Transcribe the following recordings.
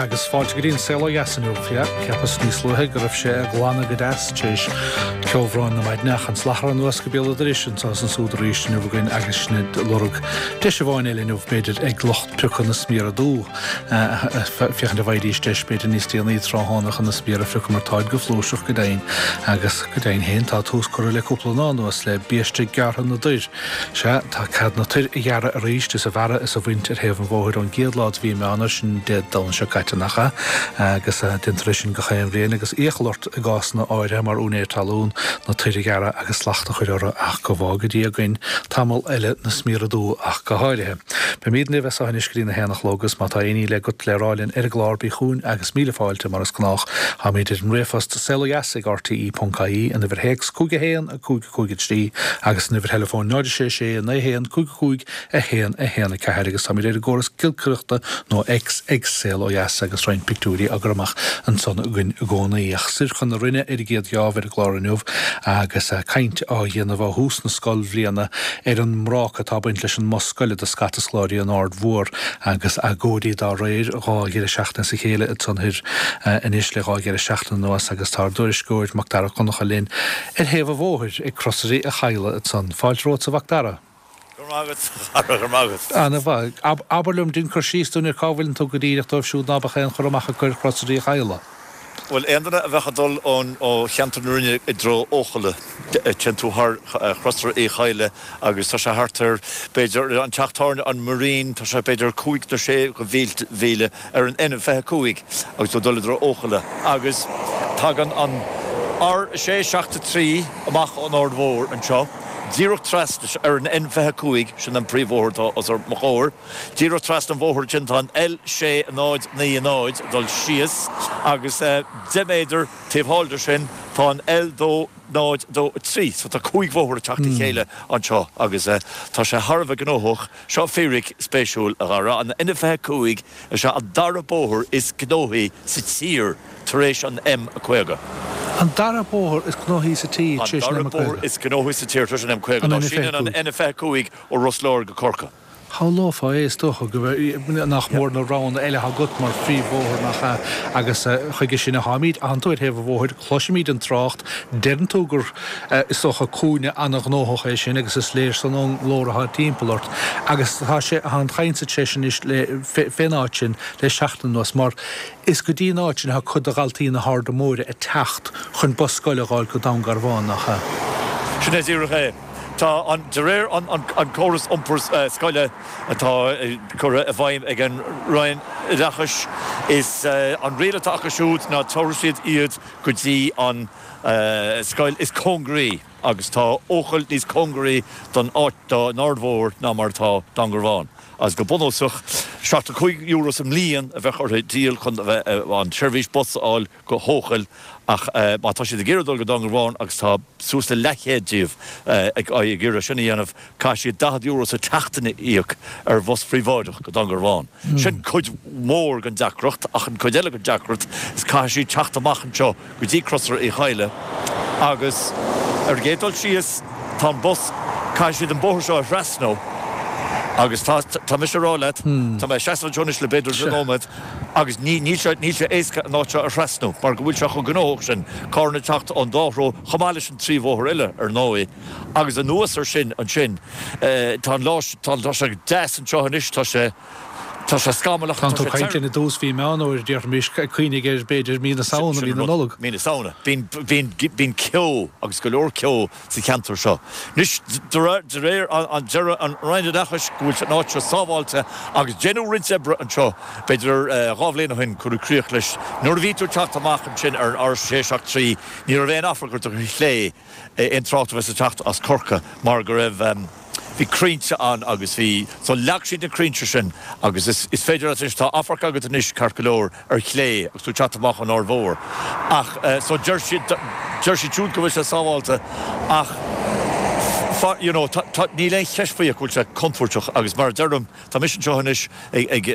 Agus fáilte go dtí an Saol Ó Dheas inniu. Yeah, cheapas níos luaithe go raibh sé ag glanadh go deas tar éis ceobhráin na maidne ach an slachar anuas go béal an dorais anseo is ansúd arís inniu againn agus sinn ag lorg deis amháin eile inniu b'fhéidir ag lucht piocadh na smiara dubh féachaint an bhfaighidís deis b'fhéidir níos déanaí tráthnóna chun na smiara a phiocadh mar táid go flúirseach go deimhin agus go deimhin féin tá tús curtha le cúpla lá anuas le biaiste gearrtha na dtoir. Sea, tá cead na toir a ghearradh arís is a bhearradh is a bhaint ar thaobh an bhóthair ón gcéad lá de mhí Meán, sin Dé Domhnaigh seo caite, nach ea? Agus déantar é sin gach aon bhliain agus iachall ort i gcásanna áirithe mar úinéir talún na toir a ghearradh agus slacht a chur orthu ach go bhfága Dia againn tamall eile na smiara dubha ach go háirithe. Beimíd libh as seo anois go dtí na haon a chlog agus má tá aon ní eile agat le rá linn ar an gclár bí chugainn agus míle fáilte mar is gnách. Táimíd ar an ríomhphost saolodheas ag rte.ie, an uimhir théacs 5 1 5 5 3 agus an uimhir theileafóin 0 6 6 9 1 5 5 1 1 4 agus táimid ar an gcóras giolcaireachta nó X ag Saol Ó Dheas agus roinnt pictiúirí á gcur amach ansan againn i gcónaí. Ach soir chun na Rinne ar an gcéad gheábh ar an gclár inniu agus caint á dhéanamh ó thús na scoilbhliana ar an mbráca atá ag baint leis an mbus scoile do scata scoláirí in Aird Mhór agus agóidí dá réir dhá dheireadh seachtaine as a chéile ansan thoir anois le dhá dheireadh seachtaine anuas agus tá ár dtuairisceoir Macdara Ó Conchúir linn Ar thaobh an bhóthair ag Crosaire Uí Chadhla ansan. Fáilte romhat a Mhacdara. Go raibh maith agat, a chara, go raibh maith agat. Ana mhaith. Abair liom, dein cur síos dúinn ar cá bhfuileann tú go díreach dóibh siúd ná beadh aon chur amach acu ar Chrosaire Uí Chadhla. Bhuel, aon duine a bheadh ag dul ó cheantar na Rinne i dtreo Eochaille, téann tú thar Chrosaire Uí Chadhla agus tá sé thart ar, b'fhéidir, an teach tábhairne an Marine, tá sé b'fhéidir cúig nó sé mhíle ar an N25 agus tú ag dul i dtreo Eochaille agus tagann an R6 7 3 amach ón Aird Mhór anseo díreach trasna ar an N25, sin an príomhbhóthar atá os mo chomhair, díreach trasna an bhóthair ansin tá an L6 0 9 0 ag dul síos agus 10 méadar taobh thall de sin tá an L2 0, 2, 3. So tá cúig bhóthar ag teacht le chéile anseo agus tá sé thar a bheith gnóthach. Seo fíric spéisiúil, a Dhara, an N25 is ea an dara bóthar is gnóthaí sa tír tar éis an M50. An dara bóthar is gnóthaí sa tír tar éis an M50. An dara bóthar is gnóthaí sa tír tar éis an M50. An Síneann an N25 ó Ros Láir go Corcaigh. Shamhlófá é, is dócha, go nach mór na roghanna eile atá agat mar phríomhbhóthar, nach ea? Agus chuige sin atáimid. Tánn tú ar thaobh an bhóthair, cloisimid an trácht, deireann tú gur, is dócha, cúinne an-ghnóthach é sin agus is léir san ón nglór atá timpeall ort. Agus tá sé, tá an chaint tar éis anois le, fén áit sin le seachtain anuas mar is go dtí an áit sin atá cuid de dhaltaí na hArda Móire ag teacht chun bus scoile a dh'fháil go Dún Garbhán, nach ea? Sin é díreach é. Tá an, de réir an córas iompair scoile atá curtha i bhfeidhm ag an Roinn Oideachais, is an riail atá acu siúd ná tabharfaidh siad iad go dtí an scoil is cóngaraí agus tá Eochaill níos cóngaraí don áit, don Aird Mhór ná mar atá Dún Garbhán. Agus go bunúsach, €75 sa mbliain a bheadh orthu díol chun a bheith an tseirbhís bus a fháil go hEochaill ach má tá siad ag iarraidh dul go Dún Garbhán, agus tá suas le leathchéad díobh ag iarraidh sin a dhéanamh, caithfidh siad €40 sa tseachtain a íoc ar bhus phríobháideach go Dún Garbhán. Sin cuid mhór den deacracht ach an cuid eile den deacracht is caithfidh siad teacht amach anseo go dtí Crosaire Uí Chadhla agus ar an gcéad dul síos tá an bus, caithfidh siad an bóthar seo a thrasnú agus tá, tá mise ag rá leat, tá mé ag seasamh anseo anois le b'fhéidir 10 nóiméad agus ní, níl sé, níl sé éasca an áit seo a thrasnú mar go bhfuil sé chomh gnóthach sin, carranna ag teacht ón dá threo chomh maith leis an trí bhóthar eile ar ndóigh agus anuas ar sin ansin tá an lá, tá, tá sé deas anseo anois, tá sé. Tá sé scamallach, tá sé Tá tú ag caint linn i dtús mhí Meán Fhómhair, déarfaimis, cuimhnigh air, b'fhéidir, mí na Samhna, mí na Nollag. Mí na Samhna. Bíonn, bíonn, bíonn ceo, agus go leor ceo, sa cheantar seo. Anois, de réir an, deir an Roinn Oideachais go bhfuil an áit seo sábháilte agus deineadh roinnt oibre anseo, b'fhéidir 2 bhliain ó shin, cuireadh críoch leis. Nuair a bhí tú ag teacht amach ansin ar an R673, ní raibh aon amharc ort ar chlé, aon trácht a bheas ag teacht as Corcaigh mar go raibh, bhí crainnte ann agus bhí, so leag siad na crainnte sin agus is, is féidir leat anois, tá amharc agat anois ceart go leor ar chlé agus tú ag teacht amach ón Aird Mhór ach so deir siad, deir siad siúd go bhfuil sé sábháilte ach fa, you know, tá, tá, níl aon cheist faoi ach go bhfuil sé contúirteach agus mar a deirim, tá mise anseo anois ag, ag,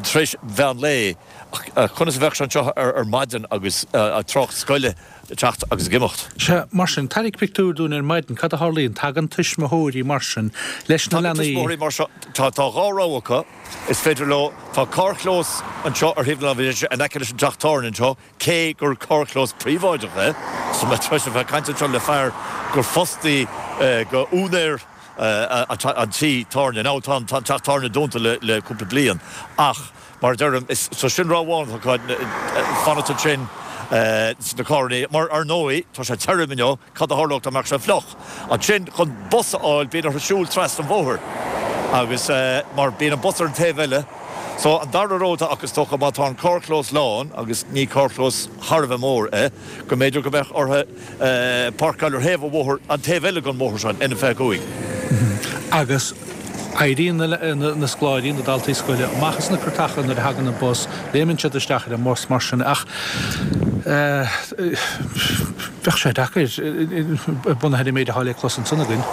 tar éis mheán lae ach conas a bheadh sé anseo ar, ar maidin agus trácht scoile. ag teacht agus ag imeacht. Sea, mar sin, tarraing pictiúr dúinn ar maidin, cad a tharlaíonn? Tagann tuismitheoirí mar sin leis na Tagann leanaí. tuismitheoirí mar seo, tá tá dhá rogha acu, is féidir leo, tá carrchlós anseo ar thaobh na láimhe deise in aice leis an teach tábhairne anseo, cé gur carrchlós príobháideach é, so mé tar éis a bheith ag caint anseo le fear gur fostaí go úinéir an tí tábhairne, now tá an teach tábhairne dúnta le cúpla bliain ach mar a deirim, is, so sin rogha amháin atá acu, fanacht ansin sna carrannaí, mar ar ndóigh tá sé tirim inniu, Cad a tharlódh dá mbeadh sé fliuch? Ansin, chun bus a fháil, bíonn orthu siúl trasna an bhóthair agus mar bíonn an bus ar an taobh eile. So, an dara rogha atá acu, is dócha, má tá an carrchlós lán, agus ní carrchlós thar a bheith mór é, go mb'fhéidir go mbeadh orthu páirceáil ar thaobh an bhóthair, an taobh eile den bhóthar seo, an N25. Agus éiríonn na scoláirí, na daltaí scoile, amach as na cairteacha nuair a thagann an bus, léimeann siad isteach ar an mbus mar sin ach bheadh sé deacair, bunaithe ar an méid atá le clos ansan againn.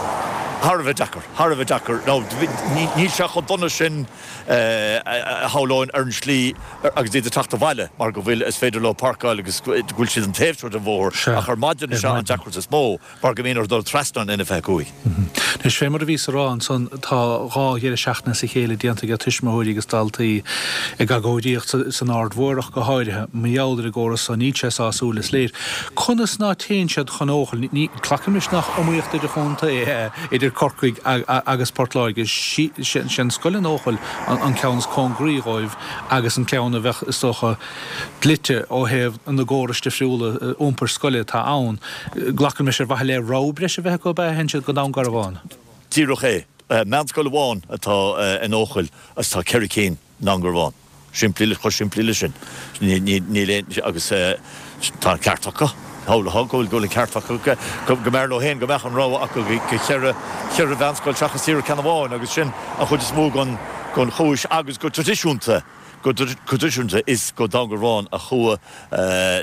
Thar a bheith deacair, thar a bheith deacair. Now, níl sé chomh dona sin a shamhlóinn ar an slí agus iad ag teacht abhaile mar go bhfuil, is féidir leo páirceáil agus go bhfuil siad an taobh seo den bhóthar ach ar maidin is ea an deacracht is mó. mar go mbíonn orthu dul trasna an N25. Anois, fé mar a bhíos a rá ansan, tá dhá dheireadh seachtaine as a chéile déanta age tuismitheoirí agus daltaí ag agóidíocht san Aird Mhór ach go háirithe, mar gheall ar an gcóras so. Níl sé sásúil, is léir. Conas ná téann siad chun Eochaill? Ní, glacaimis nach iomaíocht idir-chontae é idir Corcaigh agus Port Láirge. Sé an scoil in Eochaill an ceann is cóngaraí dhóibh agus an ceann a bheadh, is dócha, dlite ó thaobh na gcórais difriúla iompair scoile atá ann. Glacaimis ar mhaithe le rogha breise a bheith acu ab ea a théann siad go Dún Garbhán? Díreach é. Meánscoil amháin atá in Eochaill agus tá ceithre cinn i nDún Garbhán. Simplí, chomh simplí le sin. Níl aon, agus tá an ceart acu. Shamhlófá go bhfuil an ceart acu go mb'fhearr leo féin go mbeadh an rogha acu go cheithre, cheithre mheánscoil seachas díreach ceann amháin agus sin an chuid is mó den chúis agus go traidisiúnta. Go traidisiúnta is go Dún Garbhán a chuaigh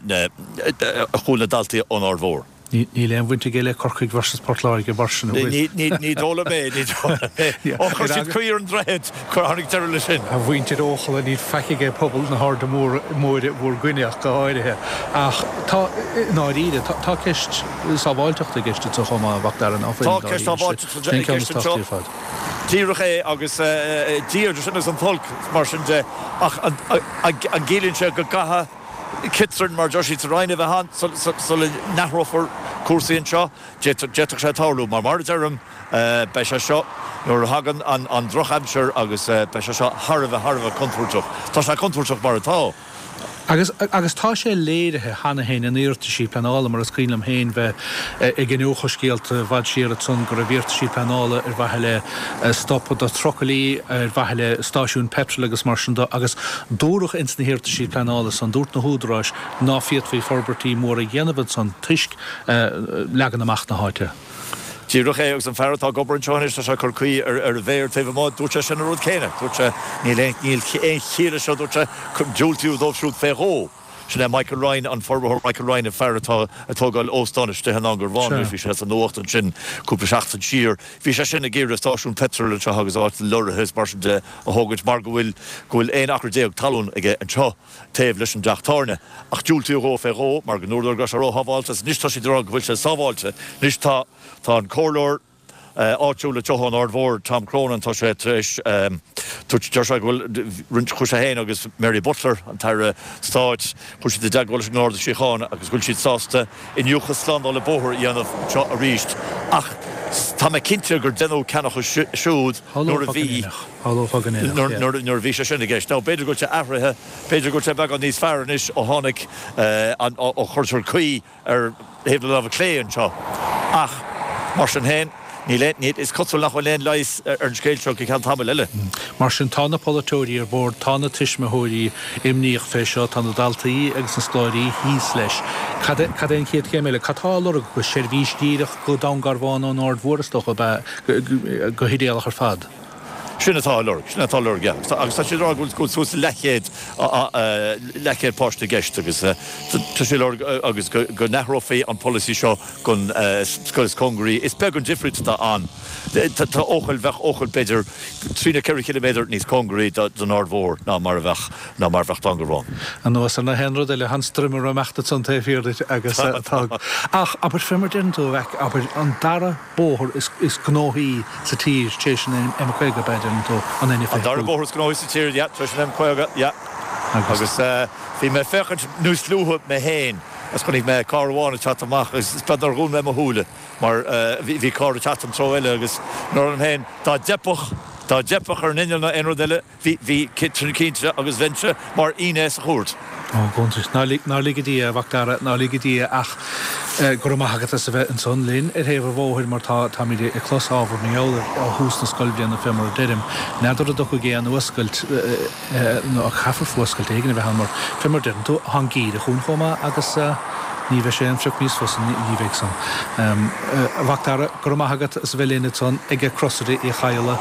na a chuaigh na daltaí ón Aird Mhór. Níl aon bhaint aige le Corcaigh versus Port Láirge mar sin, an bhfuil? Ní dóigh liom é, ní dóigh liom é. Ó chuir siad caoi ar an droichead, tháinig deireadh leis sin. A mhuintir Eochalla, níl faic aige pobal na hAirde Móire bhur gcoinne ach go háirithe. Ach tá, i ndáiríre, tá ceist sábháilteachta i gceist anseo chomh maith, a Mhac Dara, ná fuil? Tá ceist sábháilteachta i gceist anseo. Díreach é agus Dia idir sinn agus an t-olc, mar sin de. Ach an gciallaíonn sé go gcaithfidh ciotrainn, mar a deir siad sa Rinn, a bheith ann sula n-athrófar cúrsaí anseo? D'fhéadfadh sé tarlú. Mar mar a deirim, beidh sé seo, nuair a thagann an drochaimsir agus beidh sé seo thar a bheith, thar a bheith contúirteach. Tá sé contúirteach mar atá. Agus, agus tá sé léirithe cheana féin in iarrataisí pleanála, mar is cuimhin liom féin bheith ag iniúchadh scéalta i bhfad siar ansan go raibh iarrataisí pleanála ar mhaithe le stop do trucailí, ar mhaithe le stáisiúin peitril agus mar sin de, agus dúradh ins na hiarrataisí pleanála san, dúirt na húdaráis ná féadfaí forbairtí móra a dhéanamh ansan toisc leagan amach na háite. Díreach é, agus an fear atá ag obair anseo anois, tá sé ag cur caoi ar a mhéar taobh amuigh, dúirt sé sin an rud céanna. Dúirt sé, níl aon, níl aon chiall leis seo, dúirt sé, diúltaíodh dóibh siúd fé dhó. Sin é Michael Ryan, an forbarthóir Michael Ryan, an fear atá ag tógáil óstán istigh i nDún Garbhán anois, bhí sé sa nuacht ansin cúpla seachtain siar. Bhí sé sin ag iarraidh stáisiún peitril anseo agus áit do leoraithe is mar sin de a thógaint mar go bhfuil, go bhfuil 11 acra talún aige anseo. taobh leis an dteach tábhairne, ach diúltaíodh dhó fé dhó mar go ndúradar go raibh sé róshábháilte agus anois tá siad ag rá go bhfuil sé sábháilte. Anois tá tá an comhairleoir áitiúil anseo ón Aird Mhór, Tom Cronin, tá sé tar éis dúirt deir sé go bhfuil roinnt chuaigh sé féin agus Mary Butler, an tAire Stáit, chuaigh siad i dteagmháil leis an nGarda Síochána agus go bhfuil siad sásta iniúchadh slándála bóthair a dhéanamh anseo arís ach tá mé cinnte gur deineadh ceannach siúd nuair a bhí nuair a bhí sé sin i gceist. Now, b'fhéidir go bhfuil sé athraithe, b'fhéidir go bhfuil sé beagán níos fearr anois ó tháinig an, ó chuirtear caoi ar thaobh na láimhe clé anseo. Ach, mar sin féin, níl aon, níl, is cosúil nach bhfuil aon leigheas ar an scéal seo go ceann tamaill eile. Mar sin, tá na polaiteoirí ar bord, tá na tuismitheoirí imníoch fé seo, tá na daltaí agus na scoláirí thíos leis. Cad é, cad é an chéad chéim eile? Cad tá á lorg acu? Seirbhís dhíreach go Dún Garbhán ón Aird Mhór, is dócha, ab ea, go hidéalach ar fad? Sin atá á lorg, sin atá á lorg, yeah. Agus tá siad ag rá go bhfuil suas le leathchéad, leathchéad páiste i gceist agus tá siad ag lorg agus go n-athrófaí an polasaí seo don scoil is cóngaraí. Is beag an difríocht atá ann. Tá Eochaill, bheadh Eochaill b'fhéidir trí nó 4 chiliméadar níos cóngaraí don Aird Mhór ná mar a bheadh, ná mar a bheadh Dún Garbhán. Anuas ar na haon rud eile, tá an stroimire ag imeacht ansan taobh thiar duit agus tá, ach abair fé mar deireann tú a mhac, abair an dara bóthar is gnóthaí sa tír tar éis an M50 ab ea deireann tú, an N25. An dara bóthar is gnóthaí sa tír, yeah, tar éis an M50, yeah. Agus bhí mé ag féachaint níos luaithe mé féin agus chonaic mé carr amháin ag teacht amach agus is beag nár dhún mé mo shúile mar bhí carr ag teacht an treo eile agus dúirt liom féin dá dteipfeadh, dá dteipfeadh ar an inneall nó aon rud eile, Bhí, bhí cinnte agus bheinnse mar fhinné sa chúirt. Ó, go hiontas. Ná lig, ná lige Dia, a Mhac Dara, ná lige Dia ach go raibh maith agat as a bheith ansan linn ar thaobh an bhóthair mar tá, táimid ag clos ábhar mar gheall air ó thús na scoilbhliana fé mar a deirim. N'fheadar an dtiocfaidh aon fhuascailt nó caithfear fuascailt éigin a bheith ann mar fé mar a deireann tú, tá an geimhreadh chugainn chomh maith agus ní bheidh sé aon phioc níos fusa ní bheidh san. A Mhac Dara, go raibh maith agat as a bheith linn ansan ag Crosaire Uí Chadhla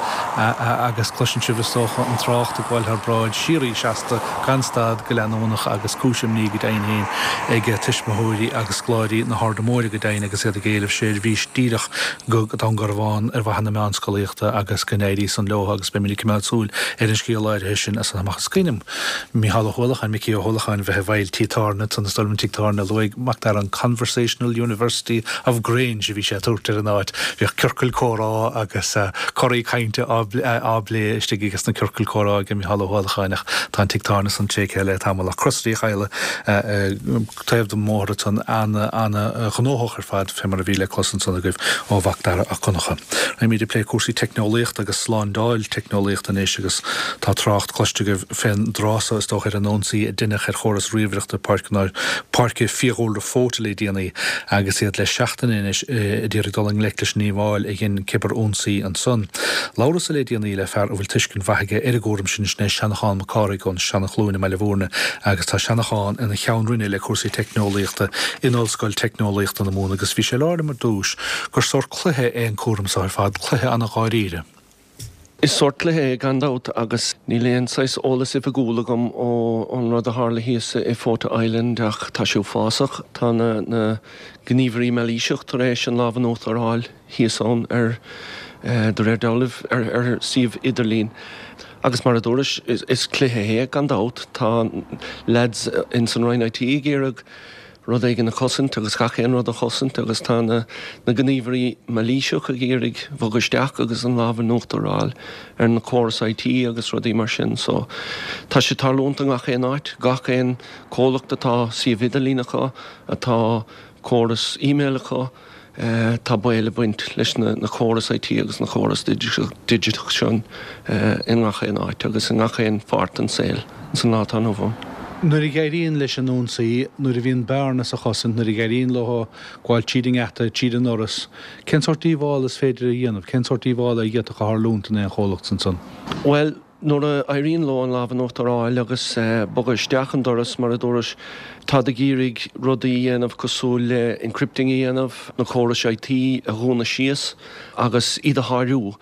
agus cloiseann sibh is dócha an trácht ag gabháil thar bráid síoraí seasta gan stad go leanúnach agus cúis imní go deimhin féin ag tuismitheoirí agus scoláirí na hArda Móire go deimhin agus iad ag éileamh seirbhís díreach go Dún Garbhán ar mhaithe na meánscolaíochta agus go n-éirí san leo agus beimid ag coimeád súil ar an scéal áirithe sin as san amach. Is cuimhin liom Mícheál Ó hUallacháin, Micí Ó hUallacháin, bheith i bhfeighil tí tábhairne ansan is dóigh liom an tigh tábhairne a luaigh Mac Dara an Conversational University of Grange a bhí sé ag tabhairt ar an áit. Bhíodh ciorcail comhrá agus corraí cainte á bplé istigh ages na ciorcail comhrá ag Mícheál Ó hUallacháin ach tá an tigh tábhairne san tréigthe le tamall ach Crosaire Uí Chadhla taobh den mbóthar ansan ana-ghnóthach ar fad fé mar a bhí le clos ansan agaibh ó Mhac Dara 'Ac Donncha. Raghaimid ag plé cúrsaí teicneolaíochta agus slándáil teicneolaíochta anois agus tá trácht cloiste agaibh fén dtráth so is dócha ar an ionsaí a deineadh ar chóras ríomhaireachta Páirce Fiadhúlra Fóta le déanaí agus iad le seachtain anois a d'iarraidh dul i ngleic leis an ndíobháil a dhein cibear-ionsaí ansan. Labhrasa le déanaí le fear a bhfuil tuiscint mhaith aige ar an gcúram sin, sin é Seanchán Mac Cárthaigh ón Seanchluain i mBaile Bhúirne agus tá Seanchán ina cheann roinne le cúrsaí teicneolaíochta in Ollscoil Teicneolaíochta na Mumhan agus bhí sé ag labhairt liom ar dtús gur sórt cluiche é an cúram seo ar fad, cluiche ana-dháiríre. Is sórt cluiche é gan dabht agus níl aon saghas eolas oifigiúil agam ón rud a tharla thíos i Fota Island ach tá sé uafásach. Tá na gníomhairí mailíseach tar éis an lámh in uachtar a fháil thíos ann ar, de réir dealraimh, ar suíomh idirlín. Agus mar a dúrais, is cluiche é gan dabht. Tá leaids ins an Roinn IT ag iarraidh rud éigin a chosaint agus gach aon rud a chosaint agus tá na gníomhairí mailíseach ag iarraidh bhogadh isteach agus an lámh in uachtar a fháil ar na córais IT agus rudaí mar sin. So tá sé tarlúint i ngach aon áit, gach aon comhlacht atá suíomh idirlín acu, atá córas email acu, Tá baol ag baint leis na córais IT agus na córais digiteach sin i ngach aon áit agus i ngach aon pháirt den saol san lá atá inniu ann. Nuair a éiríonn leis an ionsaí, nuair a bhíonn bearna sa chosaint, nuair a éiríonn leo gabháil tríd an ngeata, tríd an ndoras, cén sórt díobhála is féidir a dhéanamh? Cén sórt díobhála a d'fhéadfadh a tharlúint in aon chomhlacht ansan? Bhuel, Nuair a éiríonn leo an lámh in uachtar a fháil agus bogadh isteach an doras, mar a dúrais, táid ag iarraidh rudaí a dhéanamh cosúil le encrypting a dhéanamh, na córais IT a dhúnadh síos agus iad a sháriú,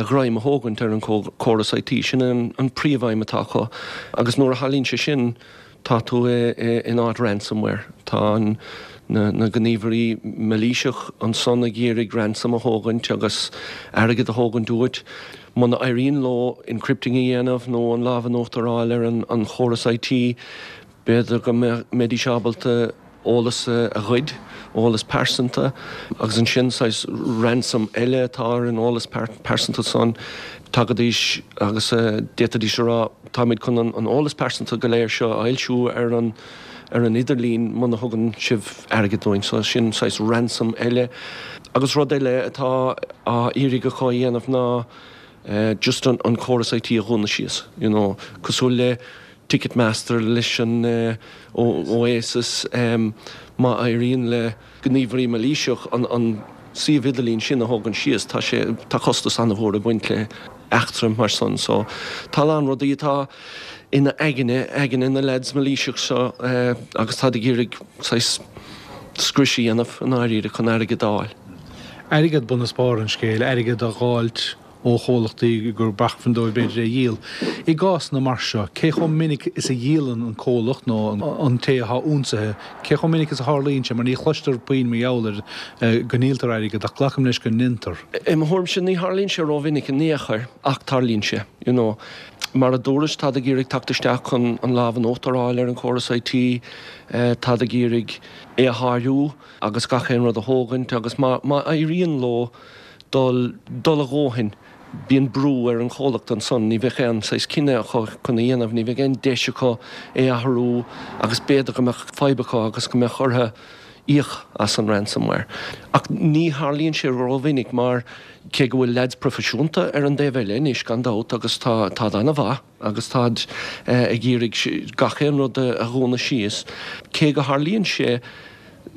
greim a thógaint ar an córas IT. Sin an príomhaidhm atá acu. Agus nuair a tharlaíonn sé sin, Tá tú in áit ransomware. Tá na gníomhairí mailíseach ansan ag iarraidh ransom a thógaint agus airgead a thógaint uait. Muna éiríonn leo encrypting a dhéanamh nó an lámh in uachtar a fháil ar an chóras IT, b'fhéidir go mbeidís ábalta eolas a ghoid, eolas pearsanta, agus ansin saghas ransom eile atá ar an eolas pearsanta san, tagaidís agus d'fhéadfaidís a rá táimid chun an eolas pearsanta go léir seo a fhoilsiú ar an ar an idirlíon muna thugann sibh airgead dúinn. So sin saghas ransom eile. Agus rud eile atá á iarraidh acu a dhéanamh ná just an córas IT a dhúnadh síos, you know, cosúil le Ticketmaster leis an Oasis, má éiríonn le gníomhairí mailíseach an suíomh idirlín sin a thógaint síos, tá sé, tá costas an-mhór ag baint le eachtra mar san. So tá a lán rudaí atá ina aigne, aigne na leaids mailíseach seo agus táid ag iarraidh saghas scrios a dhéanamh i ndáiríre chun airgead a fháil. Airgead bun is barr an scéil, airgead a dh'fháilt. ó chomhlachtaí gurb acmhainn dóibh b'fhéidir é a dhíol. I gcásanna mar seo, cé chomh minic is a dhíolann an comhlacht nó an té atá ionsaithe, cé chomh minic is a tharlaíonn sé, mar ní chloistear puinn mar gheall air go ndíoltar airgead ach glacaim leis go ndéantar. I mo thuairimse ní tharlaíonn sé rómhinic in aon chor ach tarlaíonn sé, you know. Mar a dúras, táid ag iarraidh teacht isteach chun an lámh in uachtar a fháil ar an chóras IT, táid ag iarraidh é a shárú agus gach aon rud a thógaint agus má éiríonn leo dul dul a dhóthain, bíonn brú ar an chomhlacht ansan, ní bheadh aon saghas cinneadh acu chun a dhéanamh, ní bheadh aon deis acu é a athrú agus b'fhéidir go mbeadh fadhb acu agus go mbeadh orthu íoc as an ransomware. Ach ní tharlaíonn sé rómhinic mar cé go bhfuil leaids proifisiúnta ar an dtaobh eile anois gan dabht agus tá táid an-mhaith agus táid ag iarraidh gach aon rud a dhúnadh síos, cé go tharlaíonn sé,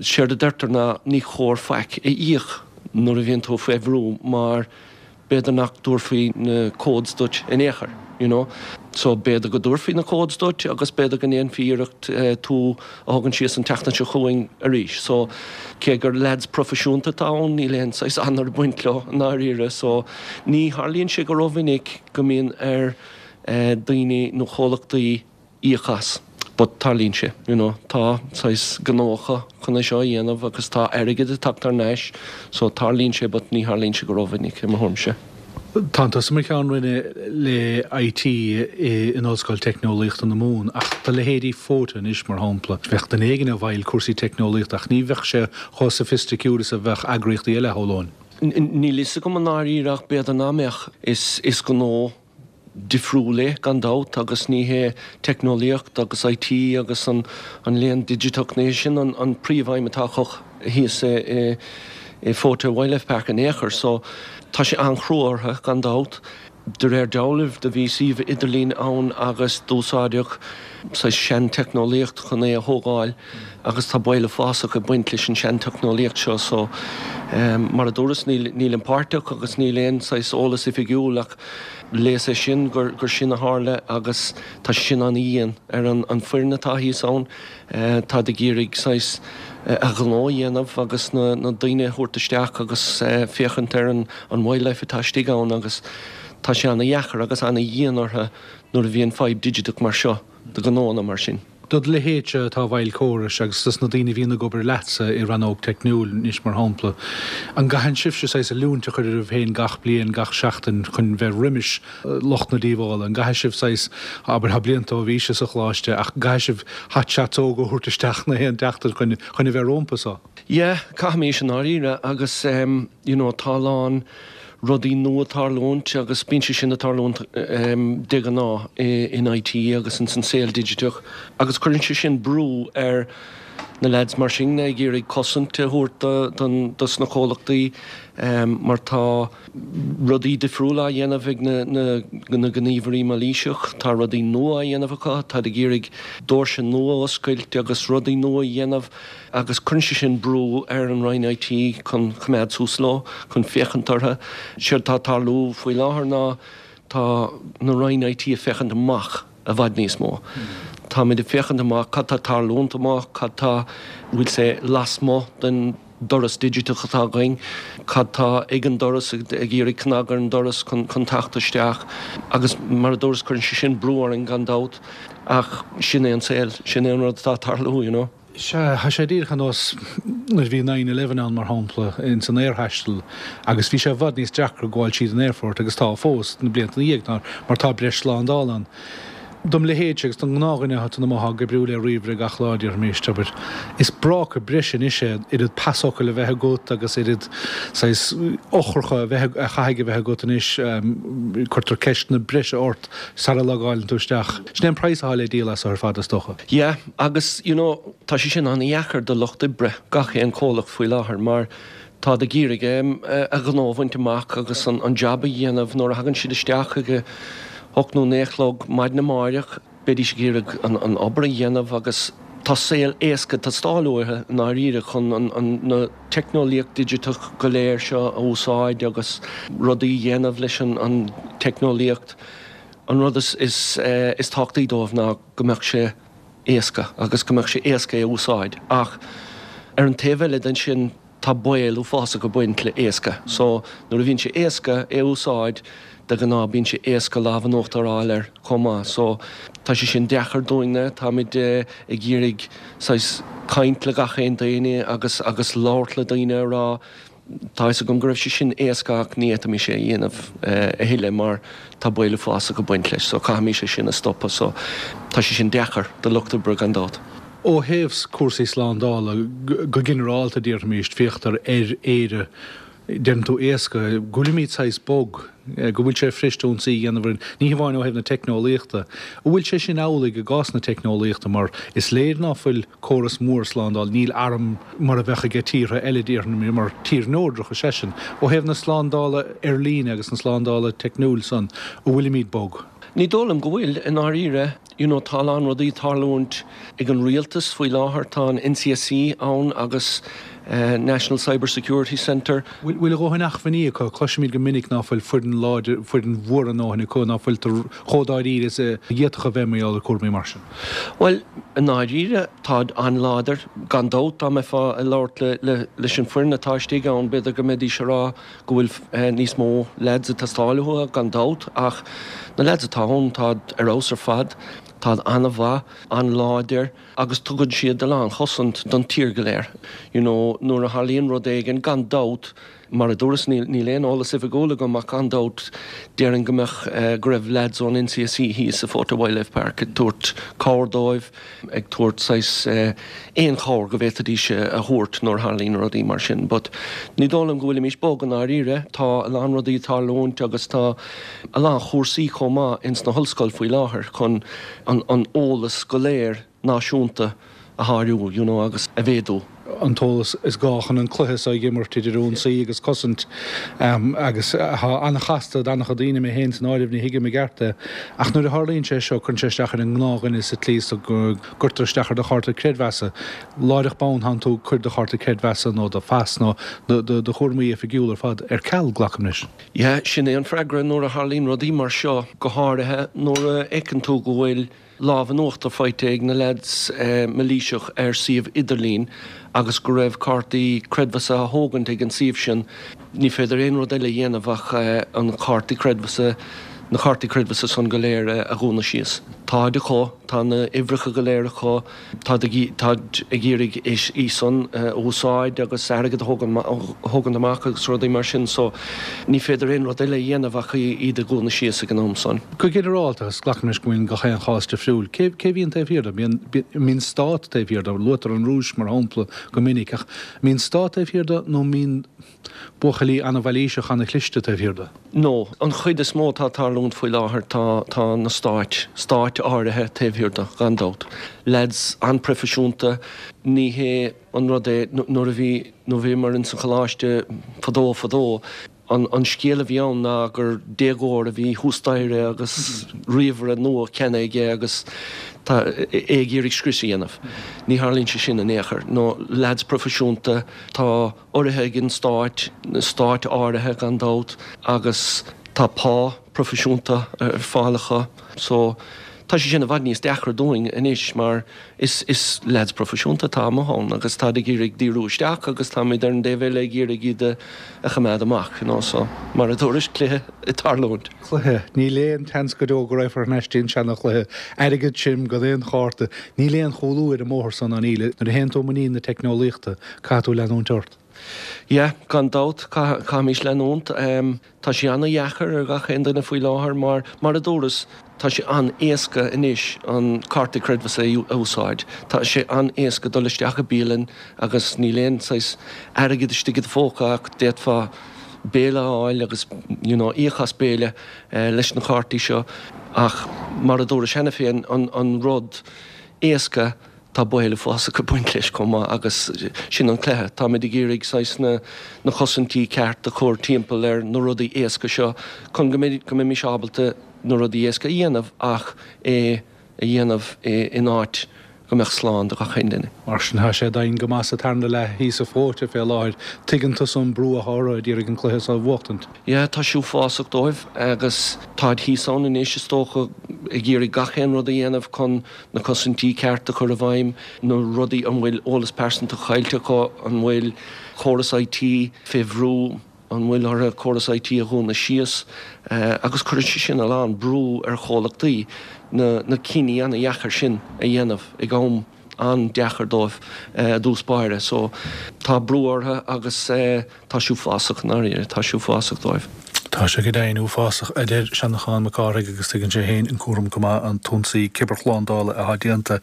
séard a deirtear ná ní chóir faic a íoc nuair a bhíonn tú faoi bhrú mar b'fhéidir nach dtabharfaí na codes duit in aon chor, you know. So b'fhéidir go dtabharfaí na codes duit agus b'fhéidir go ndéanfaí iarracht tú a thógaint síos an tseachtain seo chugainn arís. So cé gur leaids proifisiúnta atá ann, níl aon saghas onóir ag baint leo i ndáiríre. So ní tharlaíonn sé go rómhinic go mbíonn ar daoine nó chomhlachtaí íoc as. But tarlaíonn sé, you know, tá saghas gnó acu chun é seo a dhéanamh agus tá airgead ag teacht thar n-ais so tarlaíonn sé but ní tharlaíonn sé go rómhinic i mo thuairimse. Tánn tusa mar cheann roinne le IT in Ollscoil Teicneolaíochta na Mumhan ach do leithéidí Fota anois mar shampla, bheadh duine éigin i bhfeighil cúrsaí teicneolaíochta ach ní bheadh sé chomh soifisticiúil is a bheadh eagraíochtaí eile, shamhlóinn. Níl fhios agam i ndáiríre ach b'fhéidir nach mbeadh. Is gnó difriúil é, gan dabht, agus ní hé teicneolaíocht agus IT agus an léann digiteach, ní hé sin an príomhaidhm atá acu thíos i Fota Wildlife Park in aon chor. So, tá sé an-chrua orthu, gan dabht. De réir dealraimh, do bhí suíomh idirlín ann agus d'úsáideadh saghas seanteicneolaíocht chun é a thógáil agus tá baol uafásach ag baint leis an seanteicneolaíocht seo. So, mar a dúras, nílim páirteach agus níl aon saghas eolas oifigiúil ach Léas é sin gur sin a tharla agus tá sé sin an-dhian ar an foireann atá thíos ann. Táid ag iarraidh saghas a ghnó a dhéanamh agus na daoine a thabhairt isteach agus féachaint ar an wildlife atá istigh ann agus tá sé an-dheacair agus an-dhian orthu nuair a bhíonn fadhb digiteach mar seo do ghnóanna mar sin. Do do leithéidse atá i bhfeighil córais agus dos na daoine a bhíonn ag obair leatsa i rannóg teicniúil anois mar shampla, an gcaitheann sibhse saghas oiliúint a chur oraibh féin gach bliain, gach seachtain chun bheith roimis lucht na díobhála? An gcaithfidh sibh saghas, abair, tá blianta ó bhís sa choláiste ach an gcaithfidh sibh hot shots óga a thabhairt isteach na haon tseachtain chun chun a bheith rómpa so? Yeah, caithfimís i ndáiríre agus you know tá a lán rudaí nua ag tarlúint agus bíonn sé sin ag tarlúint de ghnáth in IT agus ins an saol digiteach agus cuireann sé sin brú ar na lads mar sin ag iarraidh cosaint a thabhairt dos na comhlachtaí mar tá rudaí difriúla á dhéanamh ag na gníomhairí mailíseach, tá rudaí nua á dhéanamh acu, táid ag iarraidh doirse nua a oscailt agus rudaí nua a dhéanamh. agus cuireann sé sin brú ar an Roinn IT chun coimeád suas leo, chun féachaint orthu. Séard atá ag tarlú faoi láthair ná tá na Roinn IT ag féachaint amach i bhfad níos mó. Táimid ag féachaint amach cad tá ag tarlúint amach, cad tá, bhfuil sé lasmuigh den doras digiteach atá againn, cad tá ag an doras, ag iarraidh cnag ar an doras chun teacht isteach agus mar a dúras cuireann sé sin brú orainn gan dabht ach sin é an saol, sin é an rud atá ag tarlú, you know. Sea, tá sé díreach ar nós nuair a bhí nine eleven ann, mar shampla, ins an aerthaisteal agus bhí sé i bhfad níos deacra gabháil tríd an aerfort agus tá fós, na blianta ina dhiaidh, mar tá breis slándála ann. Dom leithéidse agus don ngnáthdhuine atá amuigh ag oibriú le ríomhaire gach lá, déarfaimis, abair, is bráca breise anois é oiread pasfhocail a bheith agat agus oiread saghas eochracha a bheith, a chaithfidh a bheith agat anois, cuirtear ceisteanna breise ort sara logáileann tú isteach. Sin é an praghas atá le díol as ar fad, is dócha. Yeah, agus you know tá sé sin an-dheacair do lucht oibre gach aon chomhlacht faoi láthair mar táid ag iarraidh a ngnó a bhaint amach agus an jab a dhéanamh nuair a thagann siad isteach ag a hocht nó naoi a chlog maidin amáireach beidís ag iarraidh an obair a dhéanamh agus tá saol éasca ag teastáil uathu i ndáiríre chun na teicneolaíocht digiteach go léir seo a úsáid agus rudaí a dhéanamh leis an teicneolaíocht. An rud is tábhachtaí dóibh ná go mbeadh sé éasca agus go mbeadh sé éasca é a úsáid. Ach ar an taobh eile den sin, Tá baol uafásach ag baint le éasca. So nuair a bhíonn sé éasca é a úsáid, de ghnáth bíonn sé éasca lámh in uachtar a fháil air chomh maith. So tá sé sin deacair dúinne, táimid ag iarraidh saghas caint le gach aon duine agus agus labhairt le daoine a rá tá fhios agam go raibh sé sin éasca ach ní fhéadfaimis é a dhéanamh a thuilleadh mar tá baol uafásach ag baint leis so caithfimis é sin a stopadh so tá sé sin deacair do lucht oibre gan dabht. Ó thaobh cúrsaí slándála go ginearálta déarfaimis, féachtar ar Éire, deireann tú éasca, go bhfuilimid saghas bog, go bhfuil sé fuirist ionsaí a dhéanamh orainn, ní hamháin ó thaobh na teicneolaíochta. An bhfuil sé sin amhlaidh i gcás na teicneolaíochta mar is léir ná fuil córas mór slándála, níl arm mar a bheadh aige tíortha eile déarfainn mar tír neodrach is ea sinn. Ó thaobh na slándála ar líne agus na slándála teicniúil san, an bhfuilimid bog? Ní dóigh liom go bhfuil, i ndáiríre. You know, tá a lán rudaí ag tarlúint ag an rialtas faoi láthair, tá an NCSC ann agus National Cyber Security Centre. Bhfuil a dhóthain acmhainní acu? Cloisimid go minic ná fuil foireann láidir, foireann mhór a ndóthain acu, ná fuiltear chomh dáiríre is a d'fhéadfadh a bheith mar gheall ar cúraimí mar sin. Bhuel, i ndáiríre, táid an-láidir. Gan dabht, dá mbeifeá ag labhairt le, leis an foireann atá istigh ann, b'fhéidir go mbeidís ag rá go bhfuil níos mó leaids ag teastáil uathu, gan dabht, ach na leaids atá ann, táid ar fheabhas ar fad, táid an-mhaith, an-láidir agus tugann siad a lán chosaint don tír go léir. You know, nuair a tharlaíonn rud éigin, gan dabht, mar a dúras, níl, níl aon eolas oifigiúil agam ach gan dabht, déarfainn go mbeadh, go raibh leaids ón NCSC thíos sa Fota Wildlife Park ag tabhairt cabhair dóibh, ag tabhairt saghas aon chabhair go bhféadfaidís a thabhairt nuair a tharlaíonn rudaí mar sin. But ní dóigh liom go bhfuilimís bog i ndáiríre. Tá a lán rudaí ag tarlúint agus tá a lán chúrsaí chomh maith ins na hollscoil faoi láthair chun an an eolas go léir náisiúnta a sháriú you know agus a mhéadú. an t-eolas is gá chun an cluiche seo a imirt idir ionsaí agus cosaint agus atá an-chasta d'an-chuid daoine, mé féin san áireamh, ní thuigim i gceart é. Ach nuair a tharlaíonn sé seo, cuireann sé isteach ar an ngnáthdhuine sa tslí is go gcuirtear isteach ar do chárta creidmheasa. Láithreach bonn, tánn tú ag cur do chárta creidmheasa nó do phas nó do chúraimí oifigiúla ar fad ar ceal, glacaim leis. Yeah, sin é an freagra nuair a tharlaíonn rudaí mar seo, go háirithe nuair a fheiceann tú go bhfuil lámh in uachtar faighte ag na leaids mailíseach ar suíomh idirlín agus go raibh cártaí creidmheasa á thógaint ag an suíomh sin. Ní féidir aon rud eile a dhéanamh ach an cártaí creidmheasa, na cártaí creidmheasa san go léir a dhúnadh síos. Táid acu, tá na uimhreacha go léir acu. Táid ag iarraidh í san a úsáid agus airgead a thógaint amach agus rudaí mar sin so ní féidir aon rud eile a dhéanamh ach iad a dhúnadh síos ag an am san. Go ginearálta, agus glacaim leis go mbíonn gach aon chás difriúil, cé a bhíonn taobh thiar de? Mbíonn stát taobh thiar de? Luaitear an Rúis mar shampla go minic ach mbíonn stát taobh thiar de nó mbíonn buachaillí an-mhailíseach an-chliste taobh thiar de. No, an chuid is mó atá ag tarlúint faoi láthair tá, tá na stáit, stáit áirithe taobh thiar de, gan dabht. Leaids an-proifisiúnta, ní hé an rud é, nuair a bhí, nuair a bhíomar ins an choláiste fadó fadó, an, an scéal a bhí ann ná gur déagóir a bhí thuas staighre agus ríomhaire nua ceannaithe aige agus tá, é ag iarraidh scrios a dhéanamh. Ní tharlaíonn sé sin in aon chor. No, leaids proifisiúnta, tá. urraithe ag an stáit, na stáit áirithe gan dabht, agus tá pá proifisiúnta ar fáil acu. So, tá sé sin i bhfad níos deacra dúinn anois mar is, is leaids proifisiúnta atá amuigh ann agus táid ag iarraidh díriú isteach agus táimid ar an dtaobh eile ag iarraidh iad a, a choimeád amach, you know, so mar a dúrais, cluiche ag tarlúint. Cluiche. Níl aon tseans go deo go raghfar thar n-ais dtí an seana-chluiche. Airgead tirim gan aon chárta. Níl aon chúlú ar an mbóthar san ná níl. Nuair a théann tú i muinín na teicneolaíochta, caithfidh tú leanúint ort. Yeah, gan dabht, caithfimís leanúint. Tá sé an-dheacair ar gach aon duine faoi láthair mar, mar a dúras, tá sé an-éasca anois an cárta creidmheasa a úsáid. Tá sé an-éasca dul isteach i bialann agus níl aon saghas airgead istigh i do phóca ach d'fhéadfá béile a fháil agus you know íoc as béile leis na cártaí seo ach mar a dúras cheana féin an rud éasca tá baol uafásach ag baint leis chomh maith agus sin an cluiche. Táimid ag iarraidh saghas na na cosaintí ceart a chur timpeall ar na rudaí éasca seo chun go go mbeimis ábalta na rudaí éasca a dhéanamh ach é a dhéanamh in áit go mbeadh slán do gach aon duine. Mar sin, tá sé domhain go maith sa tarna leath thíos i Fóite fé láthair. Tuigeann tusa an brú atá orthu ag iarraidh an cluiche seo a bhuachtaint. Yeah, tá sé uafásach dóibh agus táid thíos ann anois is dócha. ag iarraidh gach aon rud a dhéanamh chun na cosaintí ceart a chur i bhfeidhm, na rudaí, an bhfuil eolas pearsanta caillte acu, an bhfuil córas IT fé bhrú, an bhfuil orthu córas IT a dhúnadh síos, agus cuireann sé sin a lán brú ar chomhlachtaí na na cinní ana-dheacair sin a dhéanamh ag am an-deacair dóibh i dtús báire. So tá brú orthu agus tá sé uafásach, i ndáiríre, tá sé uafásach dóibh. Tá sé go deimhin uafásach, a deir Seanchán Mac Cárthaigh agus tuigeann sé féin an cúram go maith, an t-ionsaí cibearshlándála atá déanta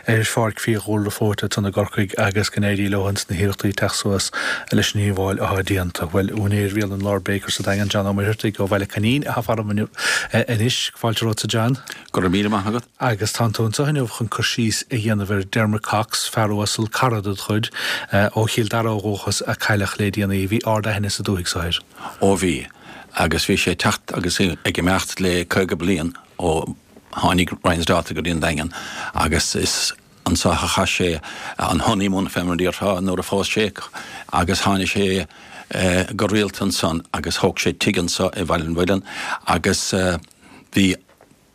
ar Pháirc Fiadhúlra Fóite ansan i gCorcaigh agus go n-éirí leo ins na hiarrachtaí teacht suas leis an ndíobháil atá déanta. Bhuel, úinéir bhialann Lord Baker sa Daingean, John Ó Muircheartaigh ó Bhaile Coinín atá faram inniu anois. Fáilte romhatsa John. Go raibh míle maith agat. Agus tánn tú anseo inniu chun cur síos a dhéanamh ar Dermot Cox, fear uasal, cara ded chuid, ó Chill Dara ó dhúchas, a cailleadh le déanaí. Bhí ard-aithne sa dúthaigh so air. Ó bhí. Agus bhí sé ag teacht agus ag imeacht le 50 bliain ó tháinig Ryan's Daughter go dtí an Daingean agus is anso a chaith sé an honeymoon fé mar a déarfá nuair a phós sé agus tháinig sé go rialta ansan agus thóg sé tigh anso i Bhaile an Mhuilinn agus bhí